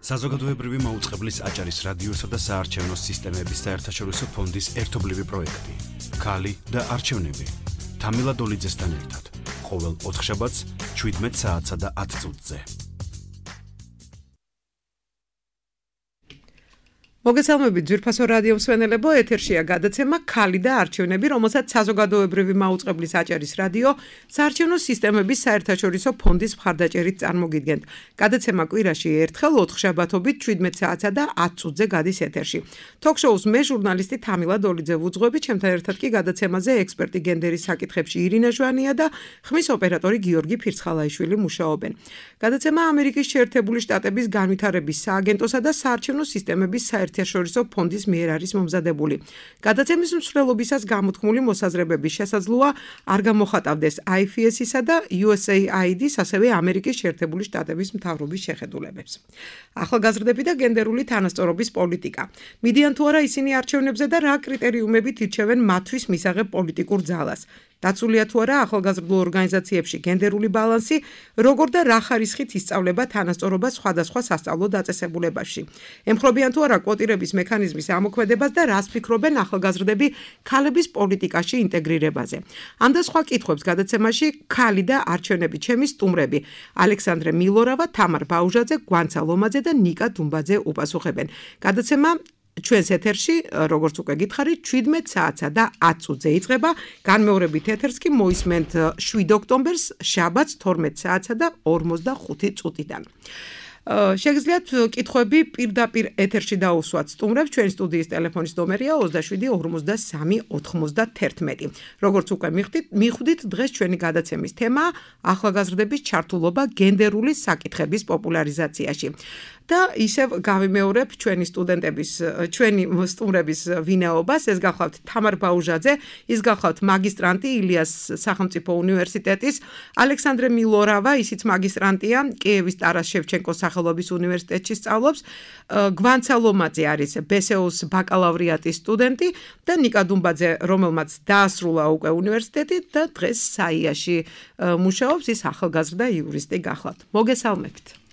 საზოგადოებრივი მაუწყებლის აჭარის რადიოსა და საარჩევნო სისტემების საერთაშორისო ფონდის ერთობლივი პროექტი. ქალი და არჩევნები. თამილა დოლიძესთან ერთად. ყოველ ოთხშაბათს 17 საათსა და 10 წუთზე. მოგესალმებით ძვირფასო რადიო მსმენელებო, ეთერშია გადაცემა ქალი და არჩევნები, რომელსაც საზოგადოებრივი მაუწყებლის აჭარის რადიო საარჩევნო სისტემების საერთაშორისო ფონდის მხარდაჭერით წარმოგიდგენთ. გადაცემა კვირაში ერთხელ ოთხშაბათობით 17 საათსა და 10 წუთზე გადის ეთერში. Ток-შოუს მე ჟურნალისტი თამილა დოლიძე ვუძღვები, ჩემთან ერთად კი გადაცემაზე ექსპერტი გენდერის საკითხებში ირინა ჟვანია და ხმის ოპერატორი გიორგი ფირცხალაიშვილი მუშაობენ. გადაცემა ამერიკის შეერთებული შტატების განვითარების სააგენტოსა და საარჩევნო სისტემების საერთაშორისო ფონდის მიერ არის მომზადებული. გადაცემის მსვლელობისას გამოთქმული მოსაზრებების შესაძლოა არ გამოხატავდეს IFS-ისა და USAID-ის, ასევე ამერიკის შეერთებული შტატების მთავრობის შეხედულებებს. ახალგაზრდები და გენდერული თანასწორობის პოლიტიკა. მიდიან თუ არა ისინი არჩევნებზე და რა კრიტერიუმებით ირჩევენ მათთვის მისაღებ პოლიტიკურ ძალას. დაცულია თუ არა ახალგაზრდულ ორგანიზაციებში გენდერული ბალანსი, როგორ და რა ხარისხით ისწავლება თანასწორობა სხვადასხვა სასწავლო დაწესებულებებში. ემხრობიან თუ არა კვოტირების მექანიზმის ამოქმედებას და რას ფიქრობენ ახალგაზრდები ქალების პოლიტიკაში ინტეგრირებაზე. ამ და სხვა კითხვებს გადაცემაში ქალი და არჩევნები ჩემი სტუმრები ალექსანდრე მილორავა, თამარ ბაუჟაძე, გვანცა ლომაძე და ნიკა დუმბაძე უპასუხებენ. გადაცემა ჩვენს ეთერში, როგორც უკვე გითხარით, 17 საათსა და 10 წუთზე იწყება, განმეორებით ეთერს კი მოისმენთ 7 ოქტომბერს, შაბათს 12 საათსა და 45 წუთიდან. შეგიძლიათ კითხვები პირდაპირ ეთერში დაუსვათ სტუმრებს, ჩვენი სტუდიის ტელეფონის ნომერია 27 53 91. როგორც უკვე მიხვდით, დღეს ჩვენი გადაცემის თემაა ახალგაზრდების ჩართულობა გენდერული საკითხების პოპულარიზაციაში. და ისევ გავიმეორებ ჩვენი სტუმრების ვინაობას, ეს გახლავთ თამარ ბაუჟაძე, ის გახლავთ მაგისტრანტი ილიას სახელმწიფო უნივერსიტეტის, ალექსანდრე მილორავა, ისიც მაგისტრანტია, კიევის ტარას შევჩენკოს სახელობის უნივერსიტეტში სწავლობს, გვანცა ლომაძე არის BSEO-ს ბაკალავრიატის სტუდენტი და ნიკა დუმბაძე, რომელმაც დაასრულა უკვე უნივერსიტეტი და დღეს საიაში მუშაობს, ის ახალგაზრდა იურისტი გახლავთ. მოგესალმებით.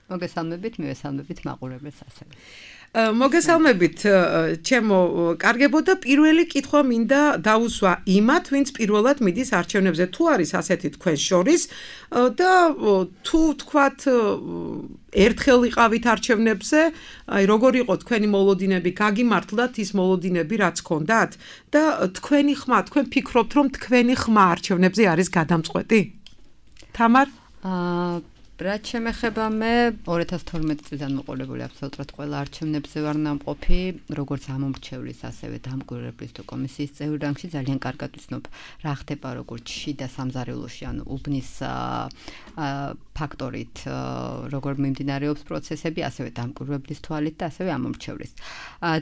მოგესალმებით, მივესალმებით მაყურებელს ასევე. მოგესალმებით, ჩემო კარგებო და პირველი კითხვა მინდა დაუსვა იმათ, ვინც პირველად მიდის არჩევნებზე, თუ არის ასეთი თქვენ შორის და თუ თქვათ ერთხელ იყავით არჩევნებზე, აი როგორ იყო თქვენი მოლოდინები, გაგიმართლათ ის მოლოდინები, რაც გქონდათ და თქვენი ხმა, თქვენ ფიქრობთ, რომ თქვენი ხმა არჩევნებზე არის გადამწყვეტი? თამარ? რაც შემეხება მე 2012 წლიდან მოყოლებული აბსოლუტურად ყველა არჩევნებზე ვარ ნამყოფი, როგორც ამომრჩევლის, ასევე დამკვირვებლის თუ კომისიის წევრი რანგში ძალიან კარგად ვიცნობ რა ხდება როგორც შიდა სამზარეულოში, ანუ უბნის ფაქტორით, როგორ მიმდინარეობს პროცესები, ასევე დამკვირვებლის თვალით და ასევე ამომრჩევლის.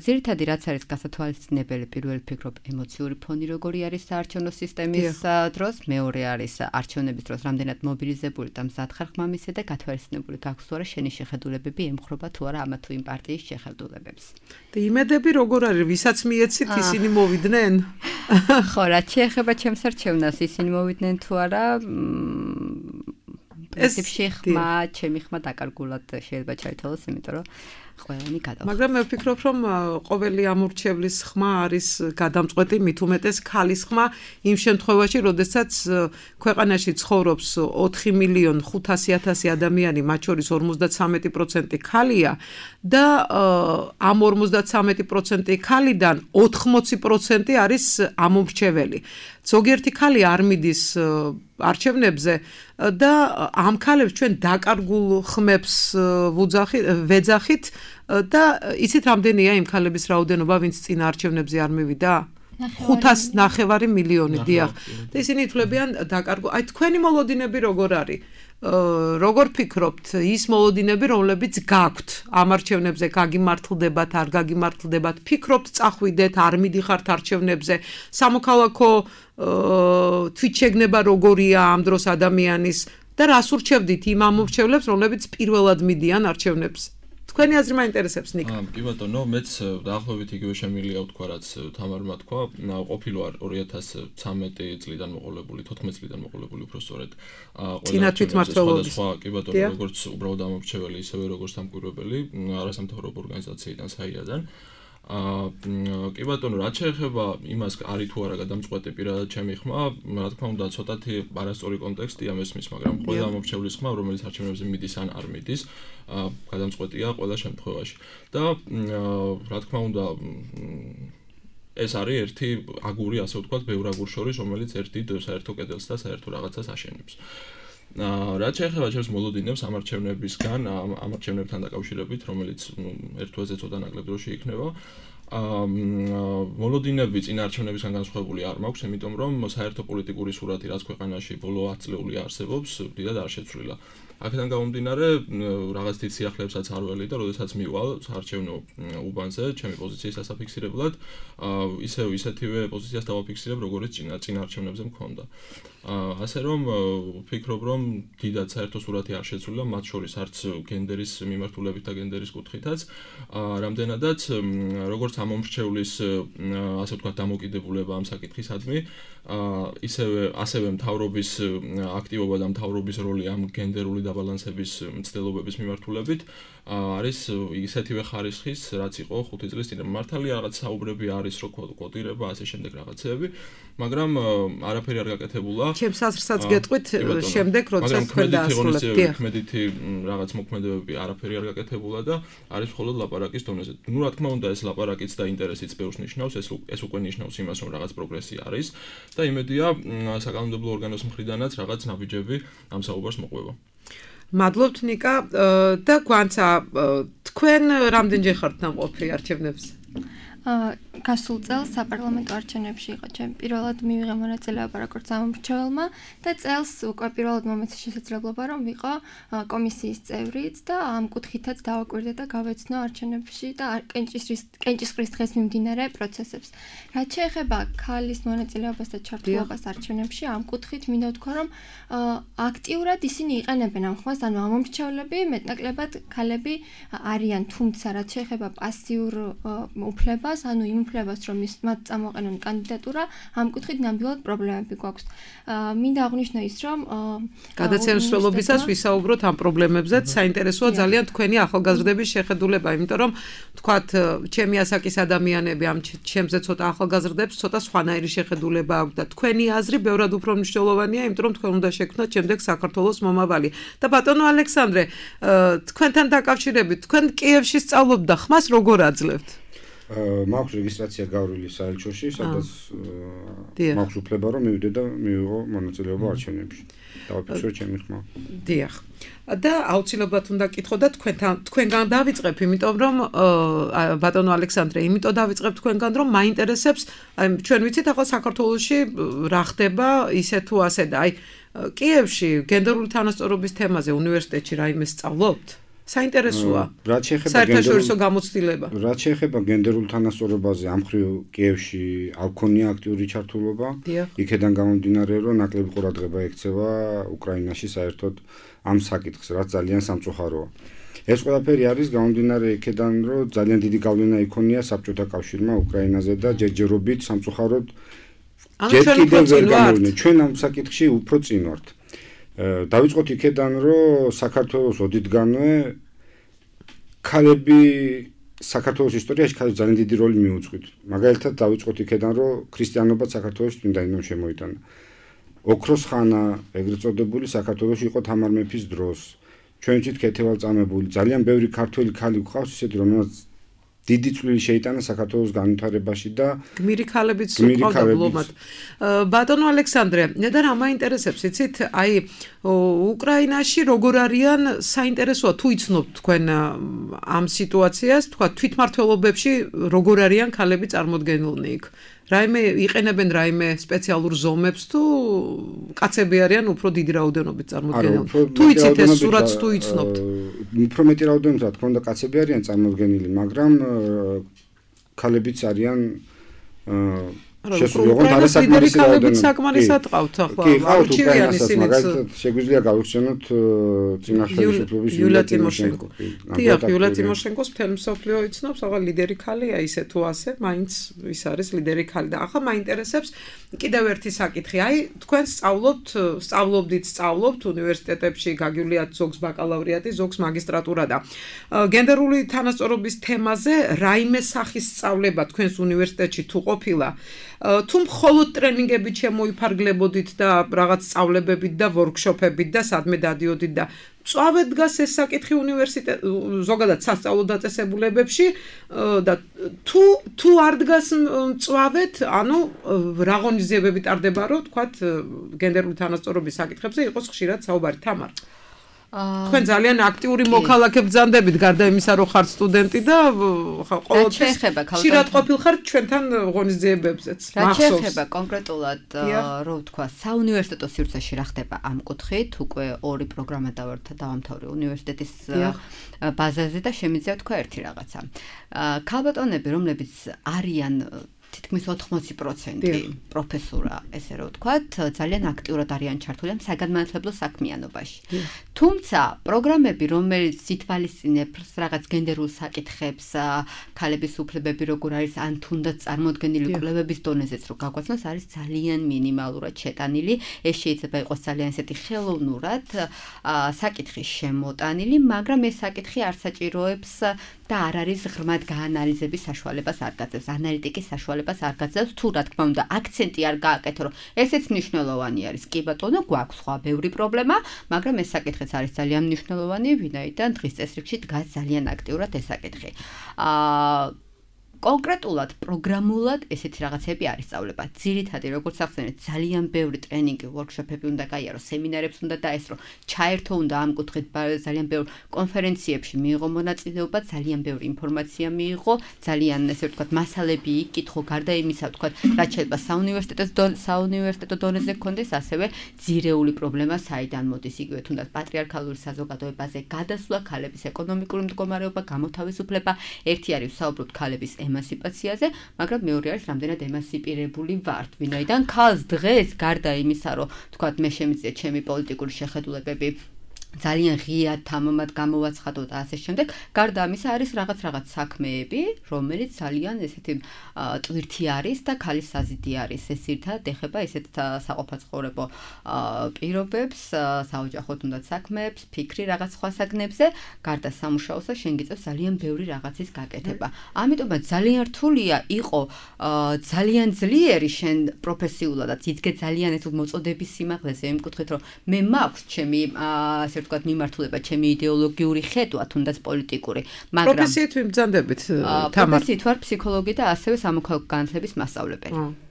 ძირითადი რაც არის გასათვალისწინებელი, პირველი ფიქრობ ემოციური ფონი როგორი არის საარჩევნო სისტემის დროს, მეორე არის არჩევნების დროს რამდენად მობილიზებული და მზად ხარ ხმამის და გათვალისწინებული გაქვს თუ არა შენი შეხედულებები ემხრობა თუ არა ამა თუ იმ პარტიის შეხედულებებს. და იმედები როგორ არის, ვისაც მიეცით ისინი მოვიდნენ? ხო, რაც შეეხება ჩემს არჩევნას, ისინი მოვიდნენ თუ არა? პრინციპში ხმა, ჩემი ხმა დაკარგულად შეიძლება ჩაითვალოს, იმიტომ რომ ყველანი გადავხდა. მაგრამ მე ვფიქრობ, რომ ყოველი ამორჩევლის ხმა არის გადამწყვეტი, მით უმეტეს ქალის ხმა იმ შემთხვევაში, როდესაც ქვეყანაში ცხოვრობს 4.500.000 ადამიანი, მათ შორის 53% ქალია და ამ 53% ქალიდან 80% არის ამომრჩეველი. ზოგიერთი ქალი არ მიდის არჩევნებზე და ამ ქალებს ჩვენ დაკარგულ ხმებს ვეძახით და იცით რამდენია იმ ქალების რაოდენობა, ვინც წინ არჩევნებზე არ მივიდა? 500 მილიონი, დიახ. და ისინი ითვლებიან დაკარგულ. აი თქვენი მოლოდინები როგორ არის? როგორ ფიქრობთ, ის მოლოდინები, რომლებიც გაქვთ ამ არჩევნებზე, გაგიმართლდებათ, არ გაგიმართლდებათ, ფიქრობთ, წახვიდეთ, არ მიდიხართ არჩევნებზე, სამოქალაქო თვითშეგნება როგორია ამ დროს ადამიანის და რას ურჩევდით იმ ამომრჩევლებს, რომლებიც პირველად მიდიან არჩევნებს? თქვენი აზრი მაინტერესებს ნიკ. კი ბატონო, მეც დაახლოებით იგივე შემილია ვთქვა, რაც თამარმა თქვა, ყოფილი ვარ 2013 წლიდან მოყოლებული, 14 წლიდან მოყოლებული უფრო სწორედ. წინა თვითმმართველობის. კი ბატონო, როგორც უბრალოდ ამორჩეველი, ისევე როგორც დამკვირვებელი, არასამთავრობო ორგანიზაციიდან, საიადან. კი ბატონო, რაც შეეხება იმას, არის თუ არა გადამწყვეტი პირადად ჩემი ხმა, რა თქმა უნდა, ცოტათი არასწორი კონტექსტია მესმის, მაგრამ ყველა მომრჩევლის ხმა, რომელიც არჩევნებზე მიდის ან არ მიდის, გადამწყვეტია ყველა შემთხვევაში. და რა თქმა უნდა, ეს არის ერთი აგური, ასე ვთქვათ, ბევრ აგურს შორის, რომელიც ერთი საერთო კედელს და საერთო რაღაცას აშენებს. რაც შეეხება ჩემს მოლოდინებს ამარჩევნებისგან, ამარჩევნებთან დაკავშირებით, რომელიც ერთ თვეზე ცოტა ნაკლებ დროში იქნება, მოლოდინები წინა არჩევნებისგან განსხვავებული არ მაქვს, იმიტომ რომ საერთო პოლიტიკური სურათი, რაც ქვეყანაში ბოლო 10 წლეული არსებობს, დიდად არ შეცვლილა. აქედან გამომდინარე, რაღაც თვით სიახლეებსაც არ ველი და როდესაც მივალ საარჩევნო უბანზე, ჩემი პოზიციის დასაფიქსირებლად, ისეთივე პოზიციას დავაფიქსირებ, როგორც წინა არჩევნებზე მქონდა. ასე რომ ვფიქრობ, რომ დიდად საერთო სურათი არ შეცვლილა, მათ შორის არც გენდერის მიმართულებით და გენდერის კუთხითაც, რამდენადაც როგორც ამომრჩევლის, ასე ვთქვათ, დამოკიდებულება ამ საკითხისადმი, ასევე მთავრობის აქტივობა და მთავრობის როლი ამ გენდერული დაბალანსების მცდელობების მიმართულებით არის ისეთივე ხარისხის, რაც იყო 5 წლის წინ. მართალია რაღაც საუბრები არის, რომ კოტირება, ასე შემდეგ რაღაცეები, მაგრამ არაფერი არ გაკეთებულა. ჩემს აზრსაც გეტყვით შემდეგ, როდესაც თქვენ დაასრულებთ. ქმედითი რაღაც მოქმედებები არაფერი არ გაკეთებულა და არის მხოლოდ ლაპარაკის დონეზე. ნუ რა თქმა უნდა, ეს ლაპარაკიც და ინტერესიც ბევრს ნიშნავს, ეს უკვე ნიშნავს იმას, რომ რაღაც პროგრესი არის და იმედია საკანონმდებლო ორგანოს მხრიდანაც რაღაც ნაბიჯები ამ საუბარს მოყვება. მადლობთ ნიკა და გვანცა თქვენ რამდენჯერ ხართ ნამყოფი არჩევნებზე? გასულ წელს საპარლამენტო არჩევნებში იყო ჩემ პირველად მივიღე მონაწილეობა როგორც ამომრჩეველმა და წელს უკვე პირველად მომეცა შესაძლებლობა რომ ვიყო კომისიის წევრიც და ამ კუთხითაც დავაკვირდე და გავეცნო არჩევნებში და კენჭისყრის დღეს მიმდინარე პროცესებს. რაც შეეხება ქალის მონაწილეობას და ჩართულობას არჩევნებში, ამ კუთხით მინდა ვთქვა რომ აქტიურად ისინი იყენებენ ამ ხმას, ანუ ამომრჩევლები მეტნაკლებად ქალები არიან, თუმცა რაც შეეხება პასიურ უფლებას, ანუ იმ უფლებას, რომ მათ წამოყენონ კანდიდატურა, ამ კუთხით ნამდვილად პრობლემები გვაქვს. მინდა აღვნიშნო ის, რომ გადაცემსვლელობისას ვისაუბროთ ამ პრობლემებზეც, საინტერესოა ძალიან თქვენი ახალგაზრდების შეხედულება, იმიტომ რომ თქვათ, ჩემი ასაკის ადამიანები ამ ჩემზე ცოტა ახალგაზრდებს ცოტა სხვანაირი შეხედულება აქვს და თქვენი აზრი ბევრად უფრო მნიშვნელოვანია, იმიტომ რომ თქვენ უნდა შექმნათ შემდეგ საქართველოს მომავალი. და ბატონო ალექსანდრე, თქვენთან დაკავშირებით, თქვენ კიევში სწავლობთ და ხმას როგორ აძლევთ? მაქვს რეგისტრაცია გავრილი საელჩოში, სადაც მაქვს უფლება რომ მივიდე და მივიღო მონაწილეობა არჩევნებში. დავაფიქსირო ჩემი ხმა. დიახ. და აუცილებლად უნდა კითხო და თქვენგან დავიწყებ, იმიტომ რომ ბატონო ალექსანდრე, იმიტომ დავიწყებ თქვენგან, რომ მაინტერესებს, ჩვენ ვიცით ახლა საქართველოში რა ხდება ისე თუ ასე და კიევში გენდერული თანასწორობის თემაზე უნივერსიტეტში რაიმე სწავლობთ? საინტერესოა. საერთაშორისო გამოცდილება. რაც შეეხება გენდერულ თანასწორობაზე, ამ მხრივ კიევში არ მქონია აქტიური ჩართულობა. იქედან გამომდინარე, რომ ნაკლები ყურადღება ექცევა უკრაინაში საერთოდ ამ საკითხს, რაც ძალიან სამწუხაროა. ეს ყველაფერი არის გამომდინარე იქედან, რომ ძალიან დიდი გავლენა იქონია საბჭოთა კავშირმა უკრაინაზე და ჯერჯერობით სამწუხაროდ ჯერ კიდევ ვერ გამოვიდნენ. ჩვენ ამ საკითხში უფრო წინ ვართ. დავიწყოთ იქედან, რომ საქართველოს ოდითგანვე ქალები საქართველოს ისტორიაში ძალიან დიდი როლი მიუძღვით. მაგალითად დავიწყოთ იქედან, რომ ქრისტიანობა საქართველოს წმინდანად შემოიტანა. ოქროს ხანა, ეგრეთ წოდებული საქართველოში იყო თამარ მეფის დროს. ჩვენ ვთქვით ქეთევალწამებული, ძალიან ბევრი ქართველი ქალი გვყავს, ისეთი რომელსაც დიდი წვლილი შეიტანა საქართველოს განვითარებაში და გმირი ქალებიც ყავდა ბლომად. ბატონო ალექსანდრე, და რა მაინტერესებს, იცით, უკრაინაში როგორ არიან, საინტერესოა თუ იცნობთ თქვენ ამ სიტუაციას, თქვა თვითმმართველობებში როგორ არიან ქალები წარმოდგენილნი იქ. რაიმე იყენებენ რაიმე სპეციალურ ზომებს თუ კაცები არიან უფრო დიდი რაოდენობით წარმოდგენილი. თუ იცით ეს სურათს თუ იცნობთ. უფრო მეტი რაოდენობით რა თქმა უნდა კაცები არიან წარმოდგენილი, მაგრამ ქალებიც არიან შესრულიყო არასაკმარისი რაოდენობით. საკმარისად ყავთ ახლა. არჩევიანი მაგალითად შეგვიძლია გავიხსენოთ წინა ხელისუფლების იულია ტიმოშენკო. დიახ, იულია ტიმოშენკოს მთელ მსოფლიო იცნობს, ახლა ლიდერი ქალია ისე თუ ასე, მაინც ის არის ლიდერი ქალი და ახლა მაინტერესებს კიდევ ერთი საკითხი. აი, თქვენ სწავლობთ უნივერსიტეტებში, გაგიuliat ზოგს ბაკალავრიატი, ზოგს მაგისტრატურა და გენდერული თანასწორობის თემაზე რაიმე სახის სწავლება თქვენს უნივერსიტეტში თუ ყოფილა, თუ მხოლოდ ტრენინგებით შემოიფარგლებოდით და რაღაც სწავლებებით და ვორქშოპებით და სადმე დადიოდით და წავედ დგას ეს საკითხი უნივერსიტეტ ზოგადად სასწავლო დაწესებულებებში და თუ არ დგას წავედ, ანუ რა ღონისძიებები ტარდება, რომ თქვათ გენდერული თანასწორობის საკითხებზე იყოს ხშირად საუბარი. თამარ, თქვენ ძალიან აქტიური მოქალაქე ბრძანდებით, გარდა იმისა, რომ ხართ სტუდენტი და ყოველთვის ხშირად ყოფილხართ ჩვენთან ღონისძიებებზეც. რა შეეხება კონკრეტულად, რომ თქვა, საუნივერსიტეტო სივრცეში რა ხდება ამ კუთხით, უკვე 2 პროგრამა დავამთავრე უნივერსიტეტის ბაზაზე და შემიძლია თქვა ერთი რაღაცა. ქალბატონები, რომლებიც არიან თითქმის 80% პროფესურა, ესე რომ ვთქვათ, ძალიან აქტიურად არიან ჩართული ამ საგანმანათლებლო საქმიანობაში. თუმცა, პროგრამები, რომელიც ითვალისწინებს რაღაც გენდერულ საკითხებს, ქალების უფლებები როგორ არის, ან თუნდაც წარმოდგენილი კვლევების დონეზეც რო გაგვაცნოს, არის ძალიან მინიმალურად შეტანილი. ეს შეიძლება იყოს ძალიან ისეთი ხელოვნურად საკითხი შემოტანილი, მაგრამ ეს საკითხი არ საჭიროებს და არ არის ღრმად გაანალიზების საშუალებას არ გაძლევს, ანალიტიკის საშუალებას არ გაძლევს, თუ რა თქმა უნდა აქცენტი არ გააკეთო, რომ ესეც მნიშვნელოვანი არის. კი ბატონო, გვაქვს სხვა ბევრი პრობლემა, მაგრამ ეს საკითხიც არის ძალიან მნიშვნელოვანი, ვინაიდან დღის წესრიგში დგას ძალიან აქტიურად ეს საკითხი. კონკრეტულად პროგრამულად ესეთი რაღაცები არის სწავლება. ძირითადად როგორც ახსენეთ, ძალიან ბევრი ტრენინგი, ვორქშოპები უნდა გაიარო, სემინარებს უნდა დაესწრო, ჩაერთო უნდა ამ კუთხით ძალიან ბევრ კონფერენციებში მიიღო მონაწილეობა, ძალიან ბევრი ინფორმაცია მიიღო, ძალიან ესე ვთქვათ, მასალები იკითხო, გარდა იმისა, ვთქვათ, რაც შეიძლება საუნივერსიტეტო დონეზე გქონდეს, ასევე ძირეული პრობლემა საიდან მოდის, იგივე თუნდაც პატრიარქალური საზოგადოებაზე გადასვლა, ქალების ეკონომიკური მდგომარეობა, გამოთავისუფლება, ერთი არის ვსაუბრობთ ქალების ემანსიპაციაზე, მაგრამ მეორე არის რამდენად ემანსიპირებული ვართ, ვინაიდან ქალს დღეს გარდა იმისა, რომ თქვათ მე შემიძლია ჩემი პოლიტიკური შეხედულებები ძალიან ღიად თამამად გამოვაცხადო და ასე შემდეგ, გარდა ამისა არის რაღაც საქმეები, რომელიც ძალიან ესეთი ტვირთი არის და ქალის საზიდი არის. ეს ერთად ეხება ესეთ საყოფაცხოვრებო პირობებს, საოჯახო თუნდაც საქმეებს, ფიქრი რაღაც სხვა საგნებზე, გარდა სამუშაოსა შენ გიწევს ძალიან ბევრი რაღაცის გაკეთება. ამიტომაც ძალიან რთულია იყო ძალიან ძლიერი შენ პროფესიულადაც იძგე ძალიან ეს მოწოდების სიმაღლეზე იმ კუთხით, რომ მე მაქვს ჩემი ასე ვთქვათ მიმართულება, ჩემი იდეოლოგიური ხედვა, თუნდაც პოლიტიკური, მაგრამ პროფესიით ვიბრძანდებით, თამარ. პროფესიით ვარ ფსიქოლოგი და ასევე სამოქალაქო განათლების მასწავლებელი.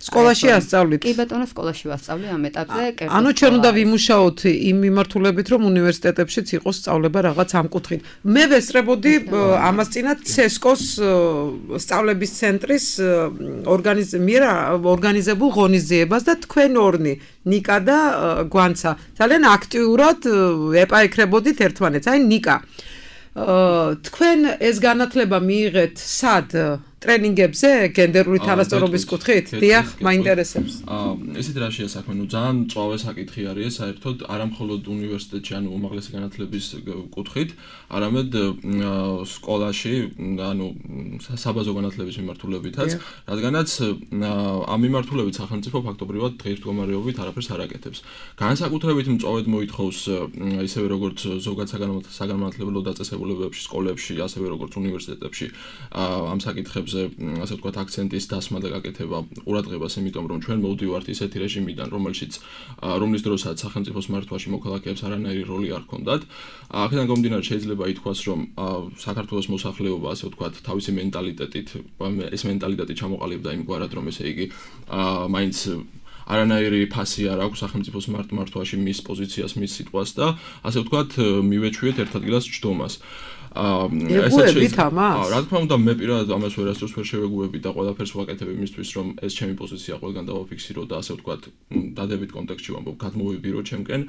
სკოლაში ასწავლით? კი ბატონო, სკოლაში ვასწავლე ამ ეტაპზე. ანუ ჩვენ უნდა ვიმუშაოთ იმ მიმართულებით, რომ უნივერსიტეტებშიც იყოს სწავლება რაღაც ამ კუთხით. მე ვესწრებოდი ამას წინათ CESCO-ს სწავლების ცენტრის ორგანიზებულ ღონისძიებას და თქვენ ორნი, ნიკა და გვანცა, ძალიან აქტიურად ეპაექრებოდით ერთმანეთს. აი ნიკა, თქვენ ეს განათლება მიიღეთ სად? ტრენინგებზე გენდერული თანასწორობის კუთხით? დიახ, მაინტერესებს. ესეთ რა შეასახმე, ნუ ძალიან მწვავე საკითხი არის საერთოდ, არა მხოლოდ უნივერსიტეტში, ანუ უმაღლესი განათლების კუთხით, არამედ სკოლაში, ანუ საბაზო განათლების მიმართულებითაც, რადგანაც ამ მიმართულებით სახელმწიფო ფაქტობრივად დღეისდგომარეობით არაფერს არ აკეთებს. განსაკუთრებით მწვავედ მოითხოვს ისევე როგორც ზოგად საგანმანათლებლო დაწესებულებებში, სკოლებში, ასევე როგორც უნივერსიტეტებში ამ საკითხებს ასე ვთქვათ აქცენტის დასმა და გაკეთება ყურადღებას, იმიტომ რომ ჩვენ მოვდივართ ისეთი რეჟიმიდან, რომლის დროსაც სახელმწიფოს მართვაში მოქალაქეებს არანაირი როლი არ ჰქონდათ. აქედან გამომდინარე შეიძლება ითქვას, რომ საქართველოს მოსახლეობა ასე ვთქვათ თავისი მენტალიტეტით, ეს მენტალიტეტი ჩამოყალიბდა იმგვარად, რომ ესე იგი მაინც არანაირი ფასი არ აქვს სახელმწიფოს მართვაში მის პოზიციას, მის სიტყვას და ასე ვთქვათ მივეჩვიეთ ერთ ადგილას ჯდომას. ეგუებით ამას? რა თქმა უნდა, მე პირადად ამას ვერასდროს ვერ შევეგუები და ყველაფერს ვაკეთებ იმისთვის, რომ ეს ჩემი პოზიცია ყველგან დავაფიქსირო და ასე ვთქვათ, დადებით კონტექსტში ვამბობ, გადმოვიბირო ჩემკენ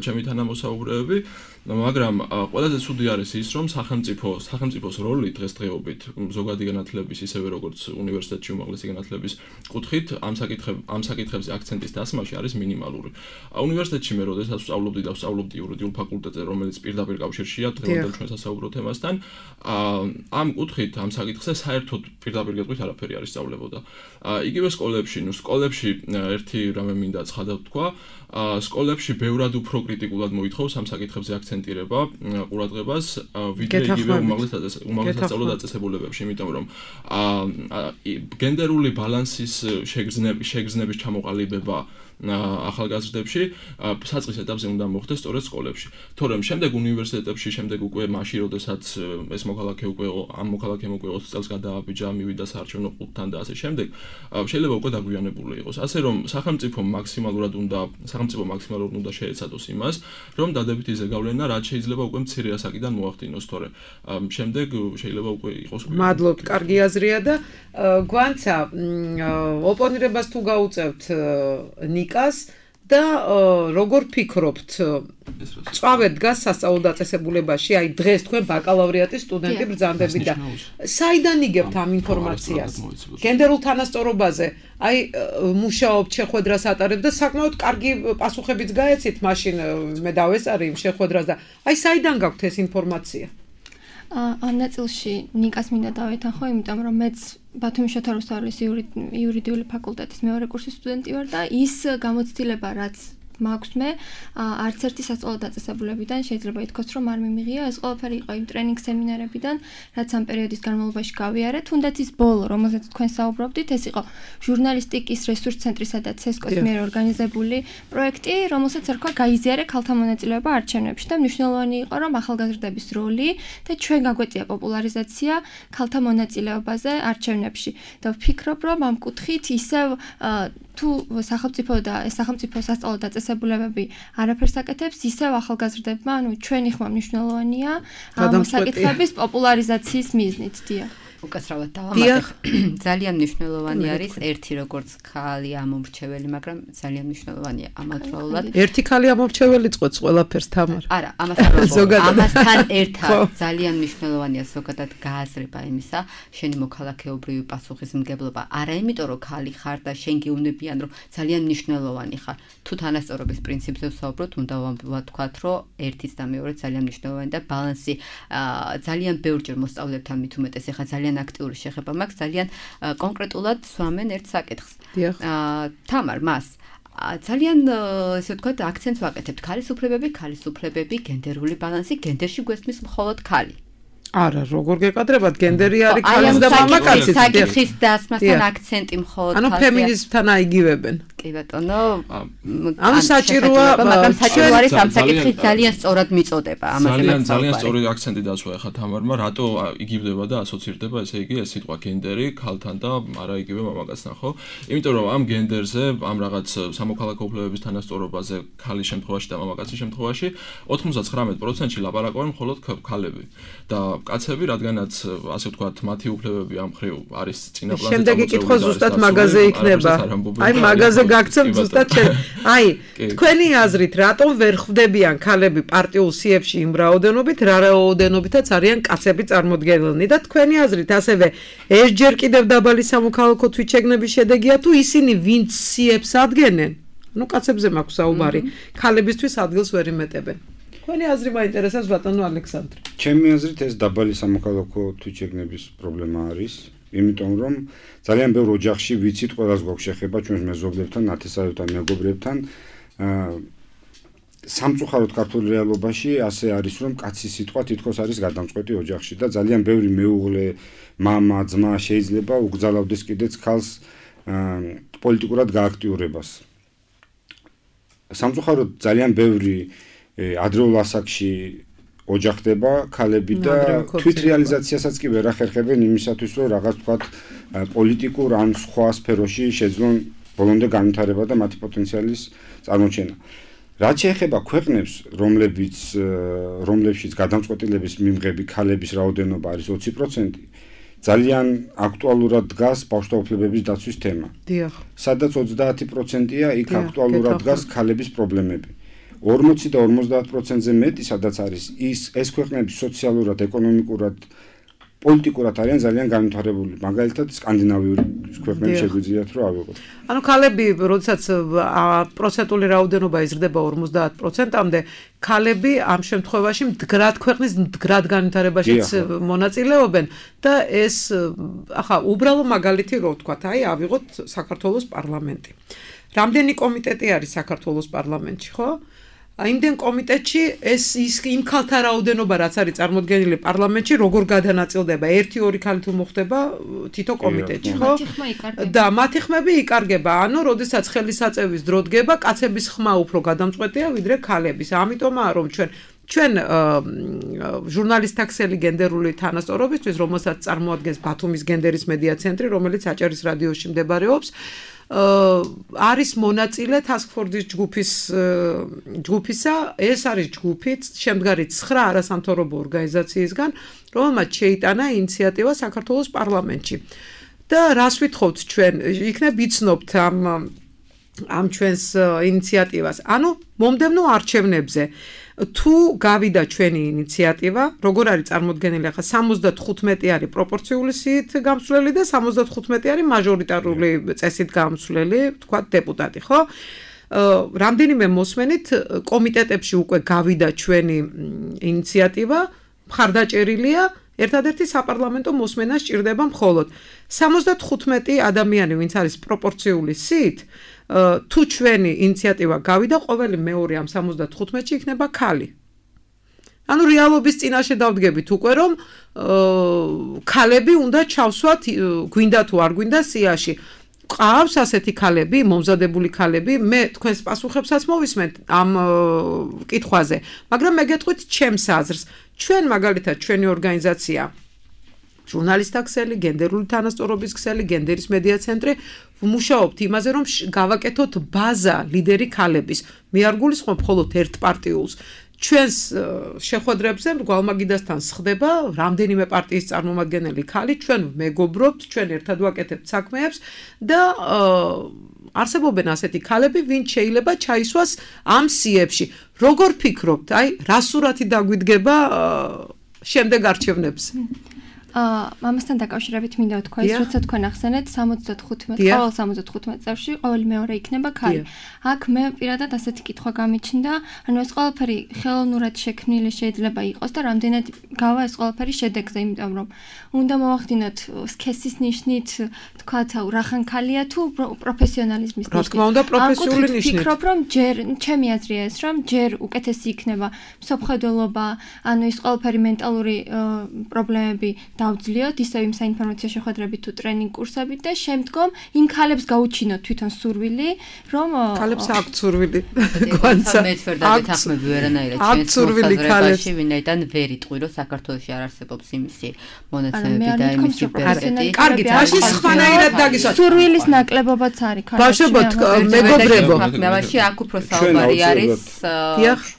ჩემი თანამოსაუბრეები, მაგრამ ყველაზე ცუდი არის ის, რომ სახელმწიფოს როლი დღესდღეობით ზოგადი განათლების ისევე როგორც უნივერსიტეტში უმაღლესი განათლების კუთხით ამ საკითხებზე აქცენტის დასმაში არის მინიმალური. უნივერსიტეტში მე როდესაც ვსწავლობდი და ვსწავლობდი იურიდიულ ფაკულტეტზე, რომელიც პირდაპირ კავშირშია დღევანდელ ჩვენ სასაუბრო თემასთან, ამ კუთხით ამ საკითხზე საერთოდ პირდაპირ გეტყვით არაფერი არ ისწავლებოდა. იგივე სკოლებში ერთი რამე მინდა ცხადად ვთქვა, სკოლებში ბევრად უფრო კრიტიკულად მოითხოვს ამ საკითხებზე აქცენტირება ყურადღებას, ვიდრე იგივე უმაღლეს სასწავლო დაწესებულებებში, იმიტომ რომ გენდერული ბალანსის შეგრძნების ჩამოყალიბება ახალგაზრდებში საწყის ეტაპზე უნდა მოხდეს სწორედ სკოლებში. თორემ შემდეგ უნივერსიტეტებში, შემდეგ უკვე მაშინ, როდესაც ეს მოქალაქე უკვე ამ მოქალაქემ უკვე 20 წელს გადააბიჯა, მივიდა საარჩევნო ყუთთან და ასე შემდეგ, შეიძლება უკვე დაგვიანებული იყოს. ასე რომ სახელმწიფო მაქსიმალურად უნდა შეეცადოს იმას, რომ დადებითი ზეგავლენა რაც შეიძლება უკვე მცირე ასაკიდან მოახდინოს, თორე შემდეგ შეიძლება უკვე იყოს. მადლობთ, კარგი აზრია და გვანცა ოპონირებას თუ გაუწევთ ნიკას და როგორ ფიქრობთ, წავედ დგას სასწავლო დაწესებულებაში, აი დღეს თქვენ ბაკალავრიატის სტუდენტი ბრძანდებით და საიდან იგებთ ამ ინფორმაციას? გენდერულ თანასწორობაზე, აი მუშაობთ, შეხვედრას ატარებთ და საკმაოდ კარგი პასუხებიც გაეცით, მაშინ მე დავესწარი იმ შეხვედრას და აი საიდან გაქვთ ეს ინფორმაცია? ამ ნაწილში ნიკას მინდა დავეთანხო, იმიტომ რომ მეც ბათუმის შოთა რუსთაველის იურიდიული ფაკულტეტის მეორე კურსის სტუდენტი ვარ და ის გამოცდილება, რაც მაქვს მე, არც ერთი სასწავლო დაწესებულებიდან შეიძლება ითქვას, რომ არ მიმიღია. ეს ყველაფერი იყო იმ ტრენინგ სემინარებიდან, რაც ამ პერიოდის განმავლობაში გავიარე. თუნდაც ის ბოლო, რომელზეც თქვენ საუბრობდით, ეს იყო ჟურნალისტიკის რესურს ცენტრისა და ცესკოს მიერ ორგანიზებული პროექტი, რომელსაც ერქვა გაიზიარე ქალთა მონაწილეობა არჩევნებში და მნიშვნელოვანი იყო, რომ ახალგაზრდების როლი და ჩვენ გაგვეწია პოპულარიზაცია ქალთა მონაწილეობაზე არჩევნებში. და ვფიქრობ, რომ ამ კუთხით ისევ თუ სახელმწიფო სასწავლო დაწესებულებები არაფერს აკეთებს, ისევ ახალგაზრდებმა, ჩვენი ხმა მნიშვნელოვანია ამ საკითხების პოპულარიზაციის მიზნით. დიახ. უკაცრავად დავამატებ. ძალიან მნიშვნელოვანი არის ერთი როგორც ქალი ამომრჩეველი, მაგრამ ძალიან მნიშვნელოვანია ამავდროულად. ერთი ქალი ამომრჩეველი წყვეტს ყველაფერს, თამარ. არა, ამასთან ერთად ძალიან მნიშვნელოვანია ზოგადად გააზრება იმისა, შენი მოქალაქეობრივი პასუხისმგებლობა. არა იმიტომ რომ ქალი ხარ და შენ გეუბნებიან რომ ძალიან მნიშვნელოვანი ხარ. თუ თანასწორობის პრინციპზე ვსაუბრობთ, უნდა ვთქვათ, რომ ერთიც და მეორე ძალიან მნიშვნელოვანი და ბალანსი ძალიან ბევრჯერ მოსწავლეებთან მით უმეტეს ახლა ძალიან აქტიური შეხება მაქვს, ძალიან კონკრეტულად სვამენ ერთ საკითხს. თამარ, მას ძალიან ესე ვთქვათ, აქცენტს ვაკეთებთ ქალის უფლებები, გენდერული ბალანსი, გენდერში გვესმის მხოლოდ ქალი. არა, როგორ გეკადრებათ, გენდერი არის ქალის და მამაკაცის საკითხის დასმასთან აქცენტი მხოლოდ ანუ ფემინიზმთან აიგივებენ. კი ბატონო, ამ საჭიროა, მაგრამ საჭირო არის ამ საკითხის ძალიან სწორად მიწოდება, ამაზე ძალიან სწორი აქცენტი დაცვა ახლა თამარმა, რატო იგივდება და ასოცირდება, ესე იგი ეს სიტყვა გენდერი ქალთან და არა იგივე მამაკაცთან, ხო? იმიტომ რომ ამ გენდერზე, ამ რაღაც სამოქალაქო უფლებების თანასწორობაზე ქალის შემთხვევაში და მამაკაცის შემთხვევაში 99%-ში ლაპარაკობენ მხოლოდ ქალები და კაცები, რადგანაც ასე ვთქვათ, მათი უფლებები ამ მხრივ არის წინა პლანზე. შემდეგი კითხვა ზუსტად მაგაზე იქნება. აი მაგაზე გაგცემ ზუსტად შენ. აი, თქვენი აზრით, რატომ ვერ ხვდებიან ქალები პარტიულ სიებში იმ რაოდენობით, რა რაოდენობითაც არიან კაცები წარმოდგენილნი და თქვენი აზრით, ასევე ეს ჯერ კიდევ დაბალი სამოქალაქო თვითშეგნების შედეგია თუ ისინი ვინც სიებს ადგენენ? ნუ კაცებზე მაქვს საუბარი, ქალებისთვის ადგილს ვერ იმეტებენ. თქვენი აზრი მაინტერესებს ბატონო ალექსანდრე. ჩემი აზრით ეს დაბალი სამოქალაქო თვითშეგნების პრობლემა არის, იმიტომ რომ ძალიან ბევრ ოჯახში ვიცით, ყველას გვაქვს შეხება ჩვენს მეზობლებთან, ნათესავებთან, მეგობრებთან. სამწუხაროდ ქართულ რეალობაში ასე არის, რომ კაცის სიტყვა თითქოს არის გადამწყვეტი ოჯახში და ძალიან ბევრი მეუღლე, მამა, ძმა შეიძლება უგზალავდეს კიდეც ქალს პოლიტიკურად გააქტიურებას. სამწუხაროდ ძალიან ბევრი ადრეულ ასაკში ოჯახდება ქალები და თვითრეალიზაციასაც კი ვერ ახერხებენ იმისათვის, რომ რაღაც თქვათ პოლიტიკურ ან სხვა სფეროში შეძლონ ბოლომდე განვითარება და მათი პოტენციალის წარმოჩენა. რაც შეეხება ქვეყნებს, რომლებშიც გადამწყვეტილების მიმღები ქალების რაოდენობა არის 20%, ძალიან აქტუალურად დგას ბავშვთა უფლებების დაცვის თემა. დიახ. სადაც 30%-ია, იქ აქტუალურად დგას ქალების პრობლემები. 40 და 50%-ზე მეტი, სადაც არის ეს ქვეყნები სოციალურად, ეკონომიკურად, პოლიტიკურად არიან ძალიან განვითარებული. მაგალითად, სკანდინავიური ქვეყნები შეგვიძლიათ რომ ავიღოთ. ანუ ქალები, როდესაც პროცენტული რაოდენობა იზრდება 50%-მდე, ქალები ამ შემთხვევაში მდგრად ქვეყნის მდგრად განვითარებაშიც მონაწილეობენ და ეს ახლა უბრალო მაგალითი რო ვთქვათ, ავიღოთ საქართველოს პარლამენტი. რამდენი კომიტეტი არის საქართველოს პარლამენტში, ხო? იმდენ კომიტეტში იმ ქალთა რაოდენობა რაც არის წარმოდგენილი პარლამენტში როგორ გადანაწილდება 1-2 ქალი თუ მოხდება თითო კომიტეტში ხო და მათი ხმები იკარგება ანუ როდესაც ხელისაწევის დრო დგება კაცების ხმა უფრო გადამწყვეტია ვიდრე ქალების ამიტომაა რომ ჩვენ ჟურნალისტთა ქსელი გენდერული თანასწორობისთვის რომელსაც წარმოადგენს ბათუმის გენდერის მედია ცენტრი რომელიც აჭარის რადიოში მდებარეობს არის მონაწილე task-force-ის ჯგუფისა, ეს არის ჯგუფი, შემდგარი 9 არასამთავრობო ორგანიზაციისგან, რომელმაც შეიტანა ინიციატივა საქართველოს პარლამენტში. და რას ვითხოვთ ჩვენ, იქნებ იცნობთ ამ ჩვენს ინიციატივას. ანუ მომდევნო არჩევნებზე თუ გავიდა ჩვენი ინიციატივა, როგორ არის წარმოდგენილი ახლა 75 არის პროპორციული სიით გამსვლელი და 75 არის მაჟორიტარული წესით გამსვლელი, თქვა დეპუტატი, ხო? რამდენიმე მოსმენით კომიტეტებში უკვე გავიდა ჩვენი ინიციატივა, მხარდაჭერილია, ერთადერთი საპარლამენტო მოსმენა სჭირდება მხოლოდ 75 ადამიანი, ვინც არის პროპორციული სიით თუ ჩვენი ინიციატივა გავიდა, ყოველი მეორე ამ 75-ში იქნება ქალი. ანუ რეალობის წინაშე დავდგებით უკვე რომ ქალები უნდა ჩავსვათ, გვინდა თუ არ გვინდა სიაში. ყავს ასეთი ქალები, მომზადებული ქალები, მე თქვენს პასუხებსაც მოვისმენთ ამ კითხვაზე, მაგრამ მე გეტყვით ჩემს აზრს. ჩვენ მაგალითად ჩვენი ორგანიზაცია ჟურნალისტთა ქსელი, გენდერული თანასწორობის ქსელი, გენდერის მედია ცენტრი ვმუშაობთ იმაზე, რომ გავაკეთოთ ბაზა ლიდერი ქალების. მე არ გულისხმობ მხოლოდ ერთ პარტიულს. ჩვენს შეხვედრებზე გვალმაგიდასთან სხდება რამდენიმე პარტიის წარმომადგენელი ქალი, ჩვენ მეგობრობთ, ჩვენ ერთად ვაკეთებთ საქმეებს და არსებობენ ასეთი ქალები, ვინც შეიძლება ჩაისვას ამ სიებში. როგორ ფიქრობთ, რა სურათი დაგვიდგება შემდეგ არჩევნებზე? ამასთან დაკავშირებით მინდა ვთქვა ის, როცა თქვენ ახსენეთ 75 წელში ყოველი მეორე იქნება ქალი. აქ მე პირადად ასეთი კითხვა გამიჩნდა, ანუ ეს ყველაფერი ხელოვნურად შექმნილი შეიძლება იყოს და რამდენად გავა ეს ყველაფერი შედეგზე, იმიტომ რომ უნდა მოვახდინოთ სქესის ნიშნით, თქვათ, რახან ქალია თუ პროფესიონალიზმის ნიშნით. რა თქმა უნდა, პროფესიული ნიშნით. ვფიქრობ, რომ ჯერ ჩემი აზრია ეს, რომ ჯერ უკეთესი იქნება მსოფლმხედველობა, ანუ ის ყველაფერი მენტალური პრობლემები დავძლიოთ ისევ იმ საინფორმაციო შეხვედრებით თუ ტრენინგ კურსებით და შემდგომ იმ ქალებს გაუჩინოთ თვითონ სურვილი, რომ ქალებს აქვთ სურვილი. მე ვერდად ეთანხმები ვერანაირად ჩვენს მოსაზრებაში, ვინაიდან ვერ იტყვი, რომ საქართველოში არ არსებობს იმისი მონაცემები და იმისი პერსპექტივები. კარგით, მაშინ სხვანაირად დაგისვათ. სურვილის ნაკლებობაც არის ქალებში. ბავშვებოთ, მეგობრებო, მაშინ აქ უფრო საუბარი არის.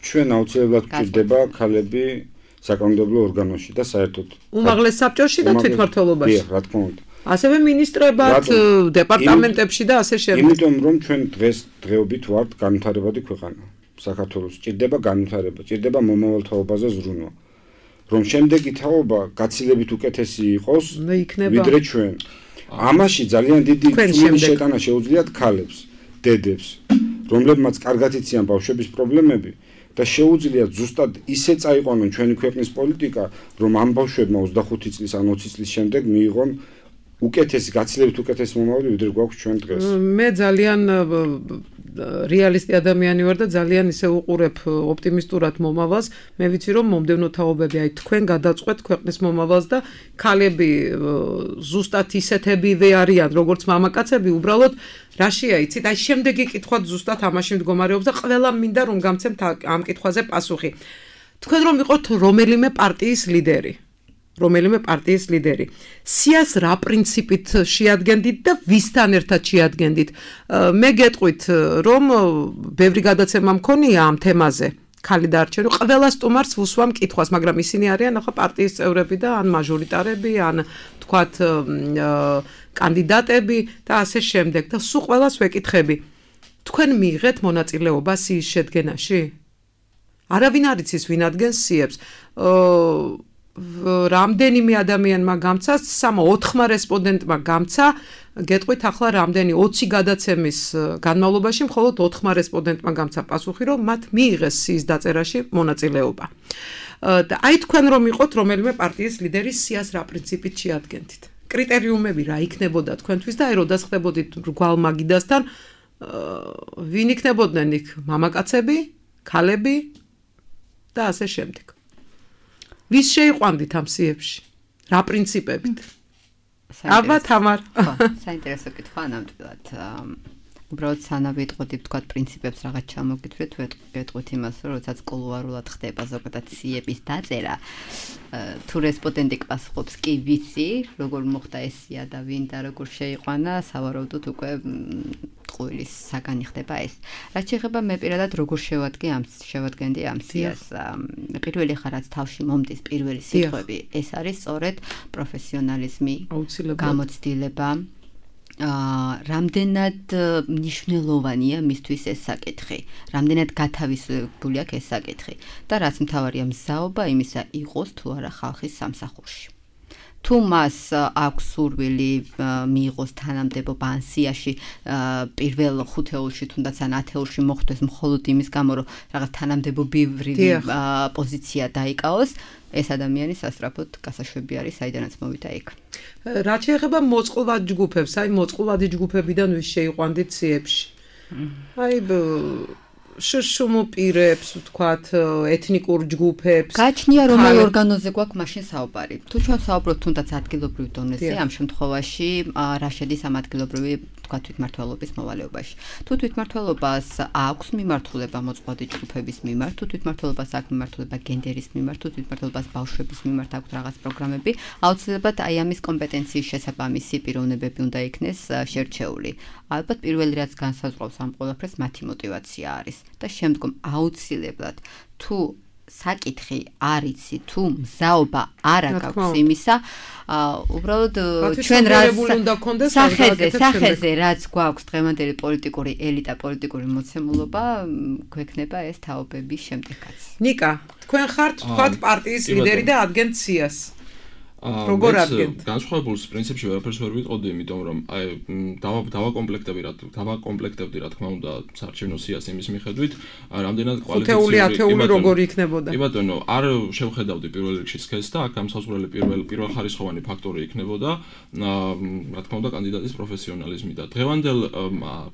ჩვენ აუცილებლად გვჭირდება ქალები საკანონმდებლო ორგანოში და საერთოდ უმაღლეს საბჭოში და თვითმმართველობაში. რა თქმა უნდა. ასევე მინისტრებად, დეპარტამენტებში და ასე შემდეგ. იმიტომ რომ ჩვენ დღეობით ვართ განვითარებადი ქვეყანა. საქართველოს ჭირდება განვითარება, ჭირდება მომავალ თაობაზე ზრუნვა. რომ შემდეგი თაობა გაცილებით უკეთესი იყოს, ვიდრე ჩვენ. ამაში ძალიან დიდი შეტანა შეუძლიათ ქალებს, დედებს, რომლებმაც კარგად იციან ბავშვების პრობლემები. და შეუძლიათ ზუსტად ისე წაიყვანონ ჩვენი ქვეყნის პოლიტიკა, რომ ამ ბავშვებმა 25 წლის ან 20 წლის შემდეგ მიიღონ უკეთესი, გაცილებით უკეთესი მომავალი, ვიდრე გვაქვს ჩვენ დღეს. მე ძალიან რეალისტი ადამიანი ვარ და ძალიან ისე უყურებ ოპტიმისტურად მომავალს. მე ვიცი რომ მომდევნო თაობები თქვენ გადაწყვეტ ქვეყნის მომავალს და ქალები ზუსტად ისეთებივე არიან, როგორც მამაკაცები, უბრალოდ რაშია იცით? შემდეგი კითხვა ზუსტად ამაში მდგომარეობს და ყველა მინდა რომ გამცემთ ამ კითხვაზე პასუხი. თქვენ რომ იყოთ რომელიმე პარტიის ლიდერი, რომელიმე პარტიის ლიდერი. სიას რა პრინციპით შეადგენდით და ვისთან ერთად შეადგენდით? მე გეტყვით, რომ ბევრი გადაცემა მქონია ამ თემაზე. ქალი და არჩევანი ყველა სტუმარს ვუსვამ კითხვას, მაგრამ ისინი არიან ახლა პარტიის წევრები და ან მაჟორიტარები, ან თქვათ კანდიდატები და ასე შემდეგ და სულ ყველას ვეკითხები. თქვენ მიიღეთ მონაწილეობა სიის შედგენაში? არავინ არ იცის ვინ ადგენს სიებს. რამდენიმე ადამიანმა გამცა, 3-4 რესპონდენტმა გამცა, გეტყვით ახლა რამდენი 20 გადაცემის განმავლობაში მხოლოდ 4 რესპონდენტმა გამცა პასუხი, რომ მათ მიიღეს სიის დაწერაში მონაწილეობა. და აი თქვენ რომ იყოთ რომელიმე პარტიის ლიდერის სიას რა პრინციპით შეადგენდით? კრიტერიუმები რა იქნებოდა თქვენთვის და აი როდესაც ხდებოდით გვალმაგიდასთან ვინ იქნებოდნენ იქ მამაკაცები, ქალები და ასე შემდეგ. ვის შეიყვანდით ამ სიებში? რა პრინციპებით? აბა თამარ. საინტერესო კითხვა ნამდვილად. უბრალოდ სანამ ვიტყოდი თქვათ პრინციპებს რაღაც ჩამოგითხრეთ, ვეტყვით იმას, რომ როდესაც კულუარულად ხდება ზოგადად სიების დაწერა, თუ რესპონდენტი პასუხობს კი ვიცი, როგორ მოხდა ეს სია და ვინ და როგორ შეიყვანა, სავარაუდოდ უკვე ყვილის საგანი ხდება ეს. რაც შეეხება მე პირადად როგორ შევადგენდი ამ სიას. პირველი ხარაც თავში მომდის პირველი სიტყვები, ეს არის სწორედ პროფესიონალიზმი, გამოცდილება. რამდენად მნიშვნელოვანია მისთვის ეს საკითხი, რამდენად გათავისუფლებული აქვს ეს საკითხი და რაც მთავარია მზაობა იმისა იყოს თუ არა ხალხის სამსახურში. თუ მას აქვს სურვილი მიიღოს თანამდებობა ან სიაში პირველ 5 ეულში თუნდაც ან 10 ეულში მოხვდეს მხოლოდ იმის გამო რომ რაღაც თანამდებობრივი პოზიცია დაიკავოს, ეს ადამიანი სასწრაფოდ გასაშვები არის საიდანაც მოვიდა იქ. რაც შეეხება მოწყვლად ჯგუფებს, აი მოწყვლადი ჯგუფებიდან ვის შეიყვანდით სიებში? აი შშმ პირებს, ვთქვათ, ეთნიკურ ჯგუფებს. გაჩნია რომელ ორგანოზე გვაქვს მაშინ საუბარი. თუ ჩვენ საუბრობთ თუნდაც ადგილობრივ დონეზე, ამ შემთხვევაში რა შედის ამ ადგილობრივი თქვათ თვითმმართველობის მოვალეობაში. თუ თვითმმართველობას აქვს მიმართულება მოწყვლადი ჯგუფების მიმართ, თუ თვითმმართველობას აქვს მიმართულება გენდერის მიმართ, თუ თვითმმართველობას ბავშვების მიმართ აქვს რაღაც პროგრამები, აუცილებლად აი ამის კომპეტენციის შესაბამისი პიროვნებები უნდა იქნეს შერჩეული. ალბათ პირველი რაც განსაზღვრავს ამ ყველაფერს მათი мотиваცია არის და შემდგომ აუცილებლად თუ საკითხი არ იცი, თუ მზაობა არ აქვს იმისა, უბრალოდ ჩვენ სახეზე რაც გვაქვს დღევანდელი პოლიტიკური ელიტა, პოლიტიკური მოცემულობა, გვექნება ეს თაობების შემდეგაც. ნიკა, თქვენ ხართ თქვათ პარტიის ლიდერი და ადგენთ სიას. როგორ ადგენთ? განსხვავებულს პრინციპში ვერაფერს ვერ ვიტყოდი, იმიტომ რომ აი დავაკომპლექტებდი რა თქმა უნდა საარჩევნო სიას იმის მიხედვით, რამდენად კვალიფიციური 5-10 როგორ იქნებოდა. კი ბატონო, არ შევხედავდი პირველ რიგში სქესს და აქ გამსაზღვრელი პირველხარისხოვანი ფაქტორი იქნებოდა, რა თქმა უნდა კანდიდატის პროფესიონალიზმი და დღევანდელ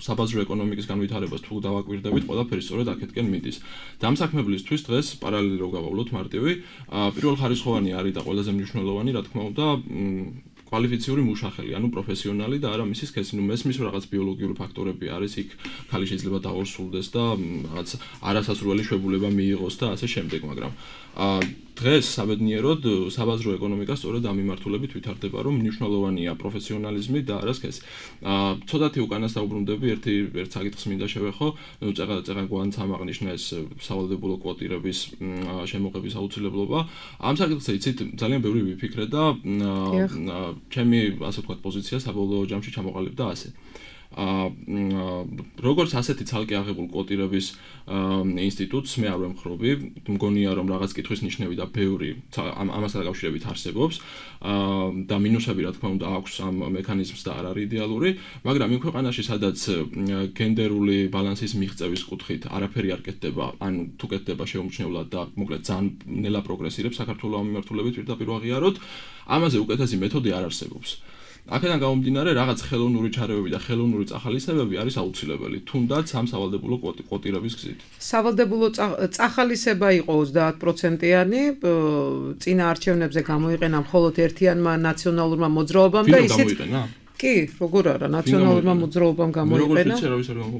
საბაზრო ეკონომიკის განვითარებას თუ დავაკვირდებით, ყველაფერი სწორედ აქეთკენ მიდის. დამსაქმებლისთვის დღეს პარალელი რო გავავლოთ მარტივი, პირველხარისხოვანი არის და ყველაზე მნიშვნელოვანი რა თქმა უნდა კვალიფიციური მუშახელი, ანუ პროფესიონალი და არა მისი სქესი. ნუ მესმის რაღაც ბიოლოგიური ფაქტორები არის, იქ ხალი შეიძლება დაორსულდეს და რაღაც არასასურველი შვებულება მიიღოს და ასე შემდეგ, მაგრამ დღეს საბედნიეროდ საბაზრო ეკონომიკა სწორედ ამ მიმართულებით ვითარდება, რომ მნიშვნელოვანია პროფესიონალიზმი და არა სქესი. ცოტათი უკანას დაუბრუნდები, ერთ საკითხს მინდა შევეხო, ნუ წეღან გვანცამ აღნიშნა ეს სავალდებულო კვოტირების შემოღების აუცილებლობა. ამ საკითხზე იცით ძალიან ბევრი ვიფიქრე და ჩემი ასე ვთქვათ პოზიცია საბოლოო ჯამში ჩამოყალიბდა ასე. როგორც ასეთი ცალკე აღებულ კვოტირების ინსტიტუტს მე არ ვემხრობი, მგონია რომ რაღაც კითხვის ნიშნები და ბევრი ამასთან დაკავშირებით არსებობს და მინუსები რა თქმა უნდა აქვს ამ მექანიზმს და არ არის იდეალური, მაგრამ იმ ქვეყანაში სადაც გენდერული ბალანსის მიღწევის კუთხით არაფერი არ კეთდება, ან თუ კეთდება შეუმჩნევლად და მოკლედ ძალიან ნელა პროგრესირებს საქართველოს ამ მიმართულებით პირდაპირ აღიაროთ, ამაზე უკეთესი მეთოდი არ არსებობს. აქედან გამომდინარე რაღაც ხელოვნური ჩარევები და ხელოვნური წახალისებები არის აუცილებელი, თუნდაც ამ სავალდებულო კვოტირების გზით. სავალდებულო წახალისება იყო 30%-იანი, წინა არჩევნებზე გამოიყენა მხოლოდ ერთიანმა ნაციონალურმა მოძრაობამ და ისიც კი, როგორ არა, ნაციონალურმა მოძრაობამ გამოიყენა.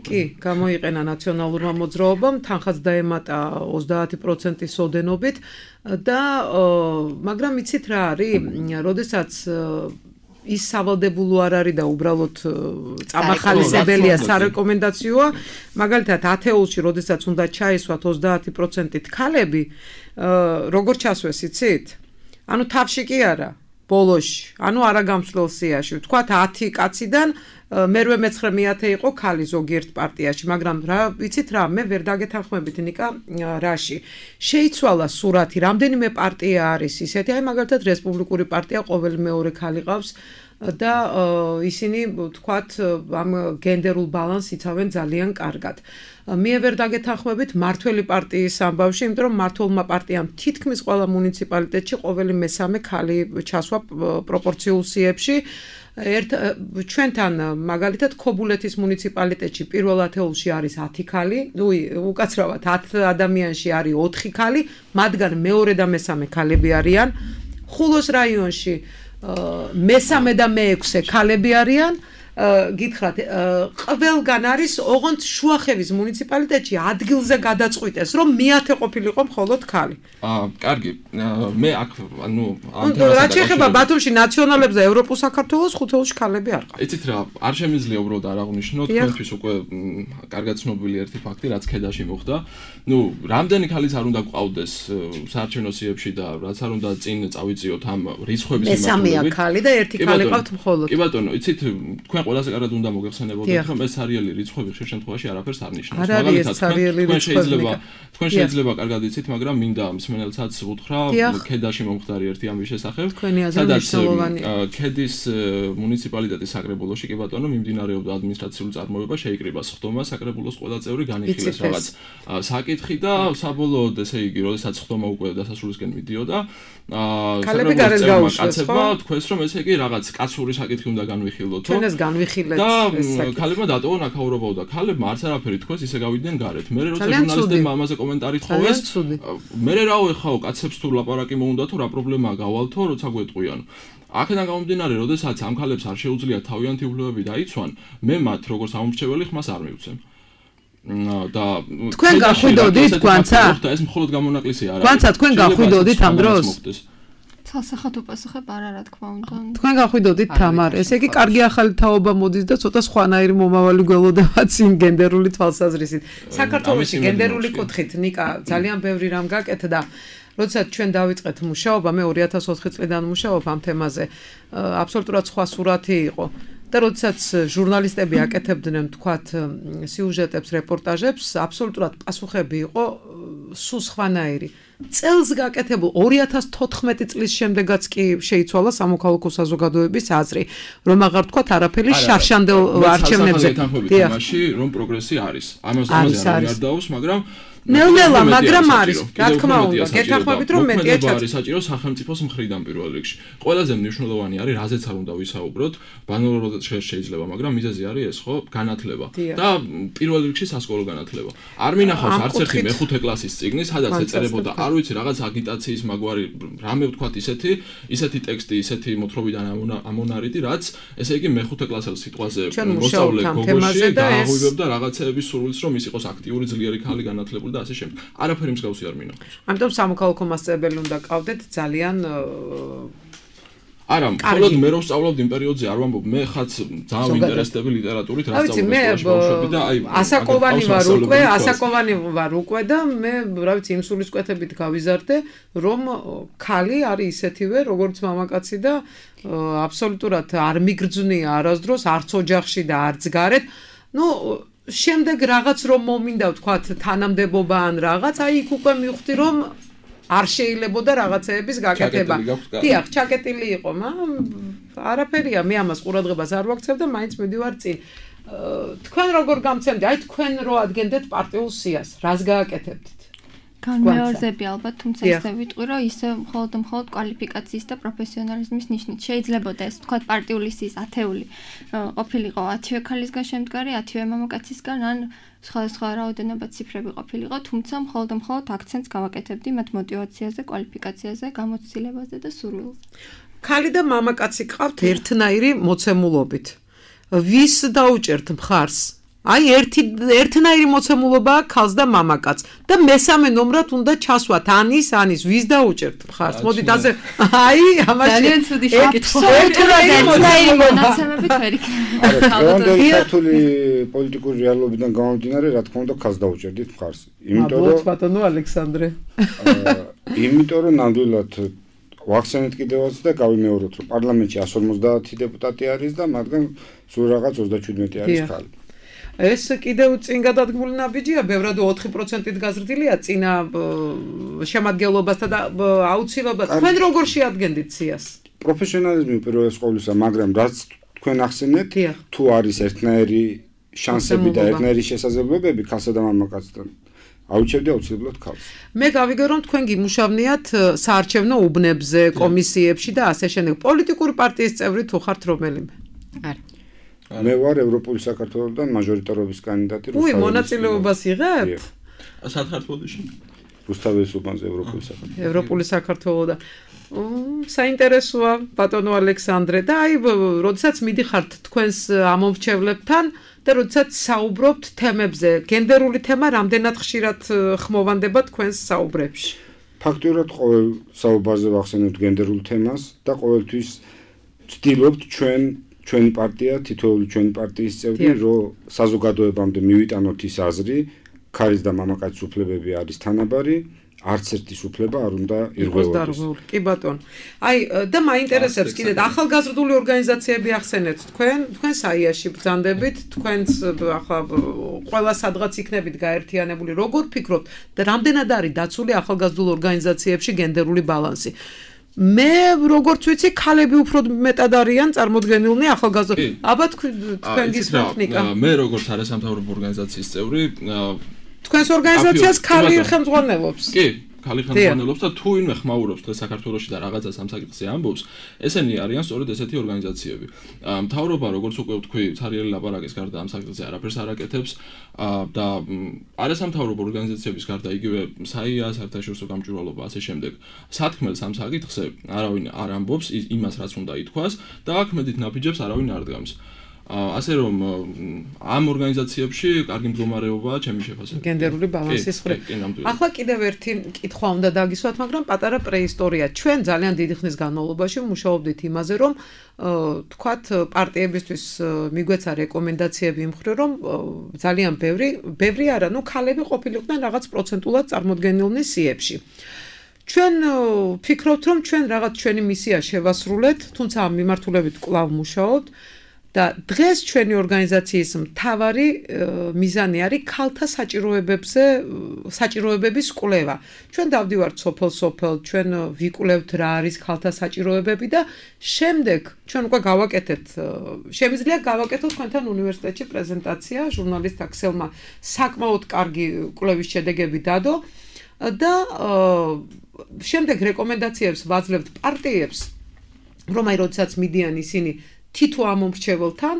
კი, გამოიყენა ნაციონალურმა მოძრაობამ, თანხაც დაემატა 30%-ის ოდენობით და მაგრამ იცით რა არის, როდესაც ის სავალდებულო არ არის და უბრალოდ წამახალისებელია სარეკომენდაციოა, მაგალითად ათეულში, როდესაც უნდა ჩაისვათ 30%-ით ქალები, როგორ ჩასვეს, იცით? ანუ თავში კი არა. ბოლოში, ანუ არაგამსვლელ სიაში, ვთქვათ 10 კაციდან მერვე მეცხრე მეათე იყო ქალი ზოგიერთ პარტიაში, მაგრამ რა, ვიცით რა, მე ვერ დაგეთანხმებით ნიკა რაში. შეიცვალა სურათი, რამდენიმე პარტია არის ისეთი, აი მაგალითად რესპუბლიკური პარტია ყოველი მეორე ქალი ყავს და ისინი ვთქვათ ამ გენდერულ ბალანსს იცავენ ძალიან კარგად. მე ვერ დაგეთანხმებით მართველი პარტიის ამბავში, იმიტომ რომ მართლმა პარტიამ თითქმის ყველა მუნიციპალიტეტში ყოველი მესამე ქალი ჩასვა პროპორციულ სიებში. ჩვენთან მაგალითად ქობულეთის მუნიციპალიტეტში პირველ ათეულში არის 10 ქალი, უკაცრავად 10 ადამიანში არის 4 ქალი, მათგან მეორე და მესამე ქალები არიან. ხულოს რაიონში მესამე და მეექვსე ქალები არიან. გითხრათ, ყველგან არის, ოღონდ შუახევის მუნიციპალიტეტში ადგილზე გადაწყვიტეს, რომ მეათე ყოფილიყო მხოლოდ ქალი. კარგი. მე აქ ანუ რაც შეეხება ბათუმში ნაციონალებს და ევროპულ საქართველოს ხუთეულში ქალები არ ყავთ. იცით რა, არ შემიძლია უბრალოდ არ აღვნიშნოთ, თქვენთვის უკვე კარგად ცნობილი ერთი ფაქტი, რაც ქედაში მოხდა. რამდენი ქალიც არ უნდა გყავდეს საარჩევნო სიებში და რაც არ უნდა წინ წავიწიოთ ამ რიცხვების მიმართულებით. მესამეა ქალი და ერთი ქალი ყავთ მხოლოდ. კი ბატონო, იცით, თქვენ ყველაზე კარგად უნდა მოგეხსენებოდეთ, რომ ეს სერიალი რიცხვები ხშირ შემთხვევაში არაფერს არ ნიშნავს. მაგალითად, თქვენ შეიძლება კარგად იცით, მაგრამ მინდა მსმენელსაც ვუთხრა, ქედაში მომხდარი ერთი ამის შესახებ, სადაც ქედის მუნიციპალიტეტის საკრებულოში კი ბატონო მიმდინარეობდა ადმინისტრაციული წარმოება, შეიკრიბა სხდომა, საკრებულოს ყველა წევრი განიხილეს რაღაც საკითხი და საბოლოოდ ესე იგი, როდესაც სხდომა უკვე დასასრულისკენ მიდიოდა, ქალები გარეთ გაუშვეს, ხო? თქვენს რომ ესე იგი რაღაც კაცური საკითხი უნდა განვიხილოთო. ჩვენ ეს განვიხილეთ და ქალებმა დატოვონ აქაურობა და ქალებმა არც არაფერი თქვეს, ისე გავიდნენ გარეთ. მე როცა ჟურნალისტებმა ამაზე კომენტარი თხოვეს, მე რაო ეხაო კაცებს თუ ლაპარაკი მოუნდათო, რა პრობლემაა გავალთო, როცა გვეტყვიან. აქედან გამომდინარე, როდესაც ამ ქალებს არ შეუძლიათ თავიანთი უფლებები დაიცვან, მე მათ როგორც ამომრჩეველი ხმას არ მივცემ. და თქვენ გახვიდოდით გვანცა? ეს მხოლოდ გამონაკლისი არა. გვანცა თქვენ გახვიდოდით ამ დროს? ცალსახად უპასუხებ არა რა თქმა უნდა. თქვენ გახვიდოდით თამარ, ესე იგი კარგი ახალი თაობა მოდის და ცოტა სხვანაირი მომავალი გველოდებაც იმ გენდერული თვალსაზრისით. საქართველოში გენდერული კუთხით ნიკა ძალიან ბევრი რამ გაკეთდა. როდესაც ჩვენ დავიწყეთ მუშაობა, მე 2004 წლიდან მუშაობ ამ თემაზე. აბსოლუტურად სხვა სურათი იყო. და როდესაც ჟურნალისტები აკეთებდნენ თქვათ სიუჟეტებს, რეპორტაჟებს, აბსოლუტურად პასუხები იყო სულ სხვანაირი. წელს გაკეთებულ 2014 წლის შემდეგაც კი შეიცვალა სამოქალაქო საზოგადოების აზრი, რომ აღარ თქვათ არაფერი შარშანდელ არჩევნებზე. თამაში რომ პროგრესი არის. ამაზე არ დაავს, მაგრამ ნელ-ნელა, მაგრამ არის, რა თქმა უნდა, გეთანხმებით რომ მეტია არის საჭირო სახელმწიფოს მხრიდან პირველ რიგში. ყველაზე მნიშვნელოვანი არის, რაზეც არ უნდა ვისაუბროთ, ბანალურად შეიძლება, მაგრამ მიზეზი არის ეს, ხო, განათლება და პირველ რიგში სასკოლო განათლება. არ მინახავს არც ერთი მეხუთე კლასის წიგნი, სადაც ეწერებოდა, არ ვიცი, რაღაც აგიტაციის მაგვარი, რამე ვთქვათ ისეთი ტექსტი, ისეთი მოთხრობიდან ამონარიდი, რაც ესე იგი მეხუთე კლასელ სიტყვაზე მოსწავლე გოგოში დააღვივებდა რაღაცეების სურვილს, რომ ის იყოს აქტიური, ძლიერი ქალი, განათლებული და ასე შემდეგ. არაფერი მსგავსი არ მინახავს. ამიტომ სამოქალაქო მასწავლებელი უნდა ყავდეთ ძალიან არა, მხოლოდ მე რომ სწავლობდი იმ პერიოდზე არ ვამბობ, მე ხაც ძალიან ვინტერესდები ლიტერატურით, რა სწავლობდი ბავშვები და აი ასაკოვანი ვარ უკვე და მე რა ვიცი იმ სულისკვეთებით გავიზარდე, რომ ქალი არის ისეთივე, როგორც მამაკაცი და აბსოლუტურად არ მიგრძნია არასდროს არც ოჯახში და არც გარეთ. შემდეგ რაღაც რომ მომინდა ვთქვათ თანამდებობა ან რაღაც, აი იქ უკვე მივხვდი რომ არ შეიძლებოდა რაღაცეების გაკეთება. დიახ, ჩაკეტილი იყო, მაგრამ არაფერია, მე ამას ყურადღებას არ ვაქცევ და მაინც მივდივარ წინ. თქვენ როგორ გამცემდი? აი თქვენ რო ადგენდეთ პარტიულ სიას, რას გააკეთებდით? განმეორზები ალბათ, თუმცა ისე ვიტყვი, რომ ისე მხოლოდ კვალიფიკაციის და პროფესიონალიზმის ნიშნით შეიძლებოდა ეს, თქვათ, პარტიული სიის ათეული ყოფილიყო 10 ქალისგან შემდგარი, 10 მამაკაცისგან, ან სხვადასხვა რაოდენობა ციფრები ყოფილიყო, თუმცა მხოლოდ აქცენტს გავაკეთებდი მათ мотиваციაზე, კვალიფიკაციაზე, გამოცდილებაზე და სურვილზე. ქალი და მამაკაცი ყავთ ერთნაირი მოცემულობით. ვის დაუჭერთ მხარს? აი ერთნაირი მოცემულობაა ქალს და მამაკაცს და მესამე ნომრად უნდა ჩასვათ ანის ვის დაუჭერთ მხარს? მოდით ასე აი ამაში ძალიან ცუდი შეკითხვა. ერთნაირი მონაცემებით ვერ იქნება. დღევანდელი ქართული პოლიტიკური რეალობიდან გამომდინარე, რა თქმა უნდა, ქალს დაუჭერდით მხარს. ბატონო ალექსანდრე. იმიტომ რომ ნამდვილად ვახსენეთ კიდევაც და გავიმეოროთ, რომ პარლამენტში 150 დეპუტატი არის და მათგან სულ რაღაც 37 არის ქალი. ეს კიდევ წინ გადადგმული ნაბიჯია, ბევრად 4%-ით გაზრდილია წინა შემადგენლობასთან და აუცილებლად თქვენ როგორ შეადგენდით სიას? პროფესიონალიზმი პირველ ყოვლისა, მაგრამ რაც თქვენ ახსენეთ, თუ არის ერთნაირი შანსები და ერთნაირი შესაძლებლობები ქალსა და მამაკაცთან, აუჩევდი აუცილებლად ქალს. მე გავიგე რომ თქვენ გიმუშავნიათ საარჩევნო უბნებზე, კომისიებში და ასე შემდეგ. პოლიტიკური პარტიის წევრი თუ ხართ რომელიმე? არა. მე ვარ ევროპული საქართველოსთან მაჟორიტარობის კანდიდატი. უი, მონაწილეობას იღებთ? სათხარ თბილისში. რუსთავის უბანზე ევროპული საქართველოს. ევროპული საქართველოსთან. საინტერესოა ბატონო ალექსანდრე და აი, როდესაც მიდიხართ თქვენს ამომრჩევლებთან და როდესაც საუბრობთ თემებზე, გენდერული თემა რამდენად ხშირად ხმოვანდება თქვენს საუბრებში? ფაქტურად ყოველ საუბარზე ვახსენებთ გენდერულ თემას და ყოველთვის ვცდილობთ ჩვენი პარტია, თითოეული ჩვენი პარტიის წევრი, რომ საზოგადოებამდე მივიტანოთ ის აზრი, ქალის და მამაკაცის უფლებები არის თანაბარი, არც ერთის უფლება არ უნდა ირღვევოდეს. კი ბატონო. აი და მაინტერესებს კიდე ახალგაზრდული ორგანიზაციები ახსენეთ თქვენ საიაში ბრძანდებით, თქვენს ახლა ყველა სადღაც იქნებით გაერთიანებული. როგორ ფიქრობთ და რამდენად არის დაცული ახალგაზრდულ ორგანიზაციებში გენდერული ბალანსი? მე როგორც ვიცი, ქალები უფრო მეტად არიან წარმოდგენილნი ახალგაზრდა. აბა თქვენ გისმენთ ნიკა. მე როგორც არასამთავრობო ორგანიზაციის წევრი, თქვენს ორგანიზაციას ქალი ხელმძღვანელობს. კი, ქალი ხელმძღვანელობს და თუ ვინმე ხმაურობს დღეს საქართველოში და რაღაცას ამ საკითხზე ამბობს, ესენი არიან სწორედ ესეთი ორგანიზაციები. მთავრობა, როგორც უკვე ვთქვი, ცარიელი ლაპარაკის გარდა ამ საკითხზე არაფერს არ აკეთებს და არასამთავრობო ორგანიზაციების გარდა იგივე საია, საერთაშორისო გამჭვირვალობა ასე შემდეგ. სათქმელს ამ საკითხზე არავინ არ ამბობს იმას, რაც უნდა ითქვას და აქ მედით ნაბიჯებს არავინ არ დგამს. ასე რომ ამ ორგანიზაციებში კარგი მდგომარეობაა ჩემი შეფასებით. გენდერული ბალანსის მხრივ. ახლა კიდევ ერთი კითხვა უნდა დაგისვათ, მაგრამ პატარა პრეისტორია. ჩვენ ძალიან დიდი ხნის განმავლობაში მუშაობდით იმაზე, რომ თქვათ პარტიებისთვის მიგვეცა რეკომენდაციები იმ მხრივ, რომ ძალიან ბევრი არა, ქალები ყოფილიყვნენ რაღაც პროცენტულად წარმოდგენილნი სიებში. ჩვენ ფიქრობთ, რომ ჩვენ რაღაც ჩვენი მისია შევასრულეთ, თუმცა ამ მიმართულებით კვლავ მუშაობთ. და დღეს ჩვენი ორგანიზაციის მთავარი მიზანი არის ქალთა საჭიროებების კვლევა. ჩვენ დავდივართ სოფელ-სოფელ, ჩვენ ვიკვლევთ რა არის ქალთა საჭიროებები და შემდეგ ჩვენ უკვე გავაკეთეთ, შემიძლია გავაკეთოთ თქვენთან უნივერსიტეტში პრეზენტაცია, ჟურნალისტ აქსელმა საკმაოდ კარგი კვლევის შედეგები დადო და შემდეგ რეკომენდაციებს ვაძლევთ პარტიებს, რომ აი როდესაც მიდიან ისინი თითო ამომრჩეველთან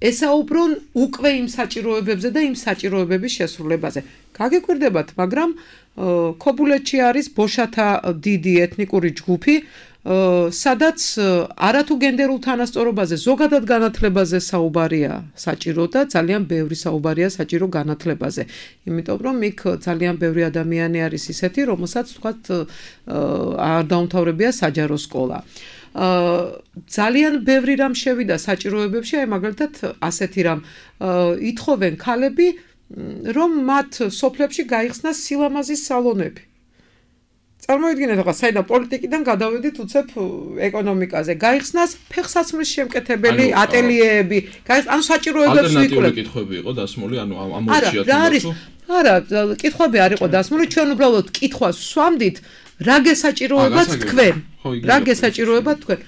ესაუბრონ უკვე იმ საჭიროებებზე და იმ საჭიროებების შესრულებაზე. გაგიკვირდებათ, მაგრამ ქობულეთში არის ბოშათა დიდი ეთნიკური ჯგუფი, სადაც არათუ გენდერულ თანასწორობაზე, ზოგადად განათლებაზე საუბარია საჭირო და ძალიან ბევრი საუბარია საჭირო განათლებაზე. იმიტომ რომ იქ ძალიან ბევრი ადამიანი არის ისეთი, რომელსაც თქვათ არ დაუმთავრებია საჯარო სკოლა. ძალიან ბევრი რამ შევიდა საჭიროებებში, აი მაგალითად ასეთი რამ ითხოვენ ქალები, რომ მათ სოფლებში გაიხსნას სილამაზის სალონები. წარმოიდგინეთ, ახლა საიდან პოლიტიკიდან გადავედით უცებ ეკონომიკაზე. გაიხსნას ფეხსაცმლის შემკეთებელი ატელიეები, ანუ საჭიროებებს ვიკვლევთ. ალტერნატიული კითხვები იყო დასმული, ანუ ამ ორჩიათ. არა, კითხვები არ იყო დასმული, ჩვენ უბრალოდ კითხვას ვსვამდით, რა გესაჭიროებათ თქვენ? რა გესაჭიროებათ თქვენ?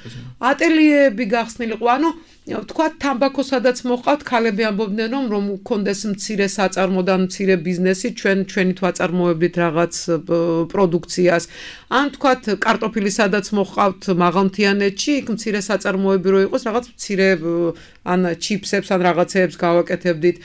ატელიეები გახსნილიყო, ანუ თქვა თამბაქო სადაც მოყავთ ქალები ამბობდნენ რომ მქონდეს მცირე საწარმო და მცირე ბიზნესი ჩვენი თვალწარმოებით რაღაც პროდუქციას ან თქვა კარტოფილი სადაც მოყავთ მაღალმთიანეთში იქ მცირე საწარმოები რო იყოს რაღაც მცირე ან ჩიპსებს ან რაღაცეებს გავაკეთებდით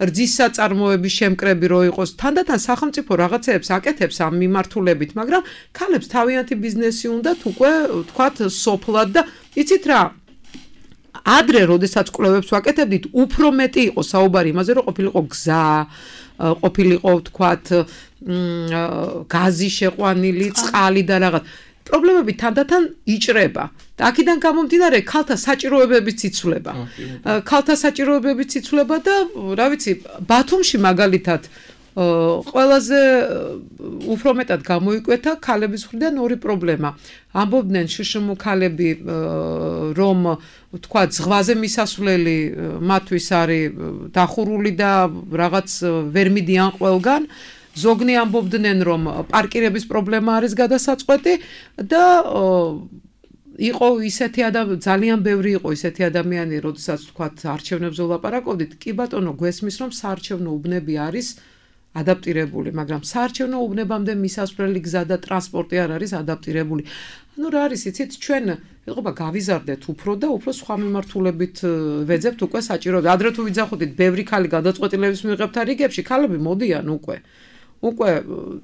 რძის საწარმოების შემკრები რო იყოს თანდათან სახელმწიფო რაღაცეებს აკეთებს ამ მიმართულებით მაგრამ ქალებს თავიანთი ბიზნესი უნდათ უკვე თქვა სოფლად და იცით რა ადრე როდესაც კვლევებს ვაკეთებდით უფრო მეტი იყო საუბარი იმაზე რომ ყოფილიყო გზა ყოფილიყო თქვათ გაზი შეყვანილი წყალი და რაღაც პრობლემები თანდათან იჭრება და აქედან გამომდინარე ქალთა საჭიროებებიც იცვლება ქალთა საჭიროებებიც იცვლება და რა ვიცი ბათუმში მაგალითად ყველაზე უფრო მეტად გამოიკვეთა ქალების მხრიდან ორი პრობლემა. ამბობდნენ შშმ ქალები რომ თქვა ზღვაზე მისასვლელი მათთვის არის დახურული და რაღაც ვერ მიდიან ყველგან. ზოგნი ამბობდნენ რომ პარკირების პრობლემა არის გადასაწყვეტი და იყო ისეთი ძალიან ბევრი იყო ისეთი ადამიანი, როდესაც თქვა არჩევნებზე ვლაპარაკობდით, კი ბატონო, გვესმის რომ საარჩევნო უბნები არის ადაპტირებული, მაგრამ საარჩევნო უბნებამდე მისასვლელი გზა და ტრანსპორტი არ არის ადაპტირებული. ანუ რა არის, იცით, ჩვენ ეხება გავიზარდეთ უფრო და უფრო სხვა მიმართულებით ვეძებთ უკვე საჭიროებას. ადრე თუ ვიძახოდით, ბევრი ქალი გადაწყვეტილების მიღებთ რიგებში, ქალები მოდიან უკვე. უკვე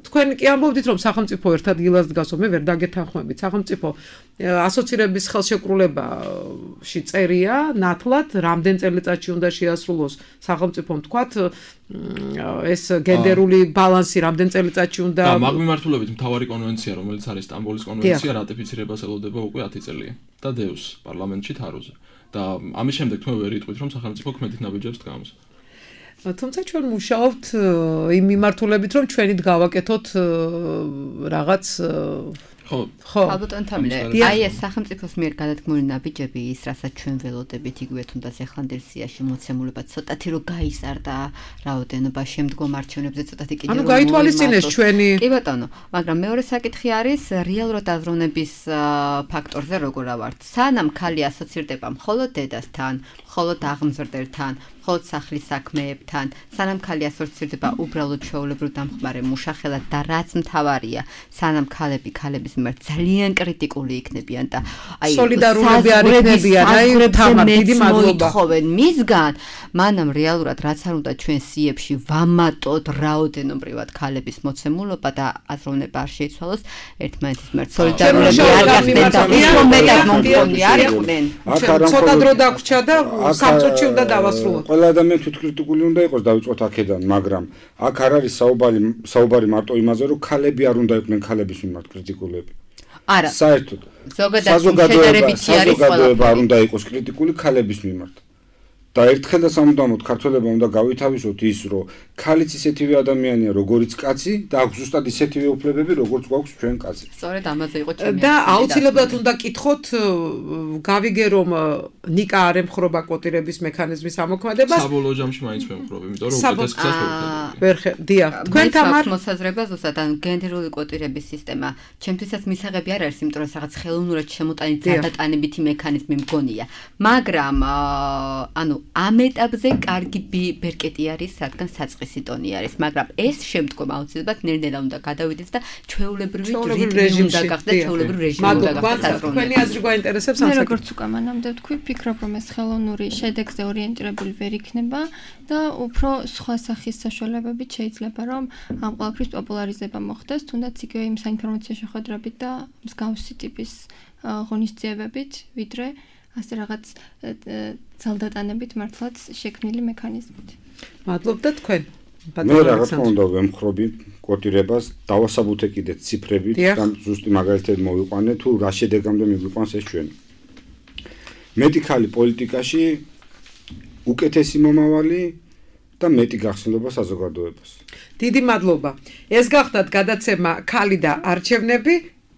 თქვენ კი ამბობდით რომ სახელმწიფო ერთად დილას დგასო მე ვერ დაგეთანხმებით სახელმწიფო ასოცირების ხელშეკრულებაში წერია ნათლად რამდენ წელიწადში უნდა შეასრულოს სახელმწიფომ თქვათ ეს გენდერული ბალანსი რამდენ წელიწადში უნდა და მაგ მიმართულებით მთავარი კონვენცია რომელიც არის სტამბოლის კონვენცია რატიფიცირებას ელოდება უკვე 10 წელია და დევს პარლამენტში თაროზე და ამის შემდეგ თქვენ ვერ იტყვით რომ სახელმწიფო ქმედით ნაბიჯებს დგამს თუმცა ჩვენ მუშაობთ იმ მიმართულებით რომ ჩვენით გავაკეთოთ რაღაც ხო ალბათ თამილე აი ეს სახელმწიფოს მიერ გადადგმული ნაბიჯები ის რასაც ჩვენ ველოდებით იგივე თუნდაც ეხლანდელსიაში მოცემულობა ცოტათი რო გაიზარდა რაოდენობა შემდგომ არჩევნებზე ცოტათი კიდევ ანუ გაითვალისწინეს ჩვენი კი ბატონო მაგრამ მეორე საკითხი არის რეალურად აზროვნების ფაქტორზე როგორ ავართ სანამ ქალი ასოცირდება მხოლოდ დედასთან მხოლოდ აღმზრდელთან მხოლოდ სახლის საქმეებთან სანამ ქალი ასოცირდება უბრალოდ ჩვეულებრივ დამხმარე მუშახელად და რაც მთავარია სანამ ქალების მიმართ ძალიან კრიტიკული იქნებიან და აი სოლიდარულები არ იქნებიან აი თამარ დიდი მადლობა ხოვენ მისგან მანამ რეალურად რაც არ უნდა ჩვენ სიებში ვამატოთ რაოდენობრივად ქალების მოცემულობა და აზროვნება არ შეიცვალოს ერთმანეთის მიმართ სოლიდარულები არ გახდნენ და უფრო მეტად მომგონი არ იყვნენ ცოტა დრო დაგვრჩა და სამწუთში უნდა დავასრულოთ ყველა ადამიანი თვითკრიტიკული უნდა იყოს დავიწყოთ აქედან მაგრამ აქ არ არის საუბარი მარტო იმაზე რომ ქალები არ უნდა იყვნენ ქალების მიმართ კრიტიკულები არა საერთოდ საზოგადოება არ უნდა იყოს კრიტიკული ქალების მიმართ და ერთხელ და სამუდამოდ ქართველებმა უნდა გავითავისოთ ის რომ ქალიც ისეთივე ადამიანია როგორიც კაცი და აქვს ზუსტად ისეთივე უფლებები როგორც გვაქვს ჩვენ კაცებს სწორედ ამაზე იყო ჩემი და აუცილებლად უნდა კითხოთ გავიგე რომ ნიკა არ ემხრობა კვოტირების მექანიზმის ამოქმედებას საბოლოო ჯამში მაინც ვემხრობ იმიტომ რომ უკეთეს გზას ვერ დია თქვენ თამარ მოსაზრება ზუსტად ან გენდერული კვოტირების სისტემა ჩემთვისაც მისაღები არ არის იმიტომ რომ რაღაც ხელოვნურად შემოტანილი ძალდატანებითი მექანიზმი მგონია მაგრამ ანუ ამ ეტაპზე კარგი ბერკეტი არის, რადგან საწყისი ტონი არის, მაგრამ ეს შემდგომ აუცილებლად ნელ-ნელა უნდა გადავიდეს და ჩვეულებრივი რეჟიმი უნდა გახდეს, ჩვეულებრივი რეჟიმი უნდა გახდეს. თქვენი აზრი გვაინტერესებს ამ საკითხზე. მე როგორც უკვე მანამდე ვთქვი, ფიქრობ რომ ეს ხელოვნური შედეგზე ორიენტირებული ვერ იქნება და უფრო სხვა სახის საშუალებებით შეიძლება რომ ამ ყველაფრის პოპულარიზება მოხდეს, თუნდაც იგივე იმ საინფორმაციო შეხვედრებით და მსგავსი ტიპის ღონისძიებებით, ვიდრე ასე რაღაც ძალდატანებით მართლაც შექმნილი მექანიზმით. მადლობთ და თქვენ. მე რაღაც უნდა ვემხრობი კვოტირებას, დავასაბუთე კიდე ციფრებით და ზუსტი მაგალითად მოვიყვანე თუ რა შედეგამდე მიგვიყვანს ეს ჩვენ. მეტი ქალი პოლიტიკაში უკეთესი მომავალი და მეტი გახსნილობა საზოგადოებას. დიდი მადლობა. ეს გახდათ გადაცემა ქალი და არჩევნები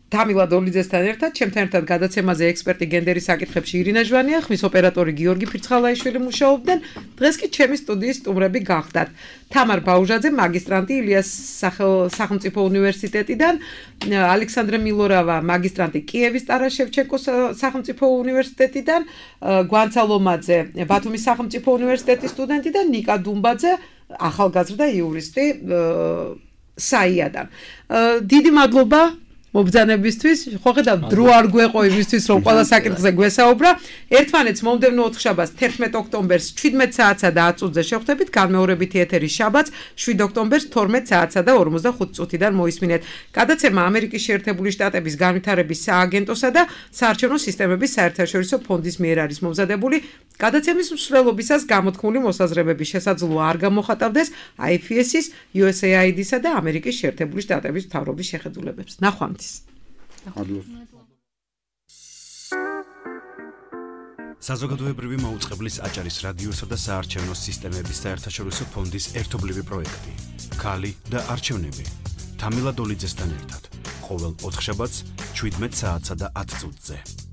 თამილა დოლიძესთან ერთად, ჩემთან ერთად გადაცემაზე ექსპერტი გენდერის საკითხებში ირინა ჟვანია, ხმის ოპერატორი გიორგი ფირცხალაიშვილი მუშაობდნენ. დღეს კი ჩემი სტუდიის სტუმრები გახდათ. თამარ ბაუჟაძე, მაგისტრანტი ილიას სახელმწიფო უნივერსიტეტიდან, ალექსანდრე მილორავა, მაგისტრანტი კიევის ტარას შევჩენკოს სახელმწიფო უნივერსიტეტიდან, გვანცა ლომაძე, ბათუმის სახელმწიფო უნივერსიტეტის სტუდენტი და ნიკა დუმბაძე, ახალგაზრდა იურისტი საიადან. დიდი მადლობა მობრძანებისთვის, ხო ხედავ დრო არ გვეყო იმისთვის რომ ყველა საკითხზე გვესაუბრა. ერთმანეთს მომდევნო ოთხშაბათს 11 ოქტომბერს 17 საათსა და 10 წუთზე შევხვდებით, განმეორებითი ეთერი შაბათს 7 ოქტომბერს 12 საათსა და 45 წუთიდან მოისმინეთ. გადაცემა ამერიკის შეერთებული შტატების განვითარების სააგენტოსა და საარჩევნო სისტემების საერთაშორისო ფონდის მიერ არის მომზადებული. გადაცემის მსვლელობისას გამოთქმული მოსაზრებების შესაძლოა არ გამოხატავდეს IFS-ის, USAID-სა და ამერიკის შეერთებული შტატების მთავრობის შეხედულებებს. ნახვამდის. საზოგადოებრივი მაუწყებლის აჭარის რადიოსა და საარჩევნო სისტემების საერთაშორისო ფონდის ერთობლივი პროექტი. ქალი და არჩევნები. თამილა დოლიძესთან ერთად. ყოველ ოთხშაბათს 17 საათსა და 10 წუთზე.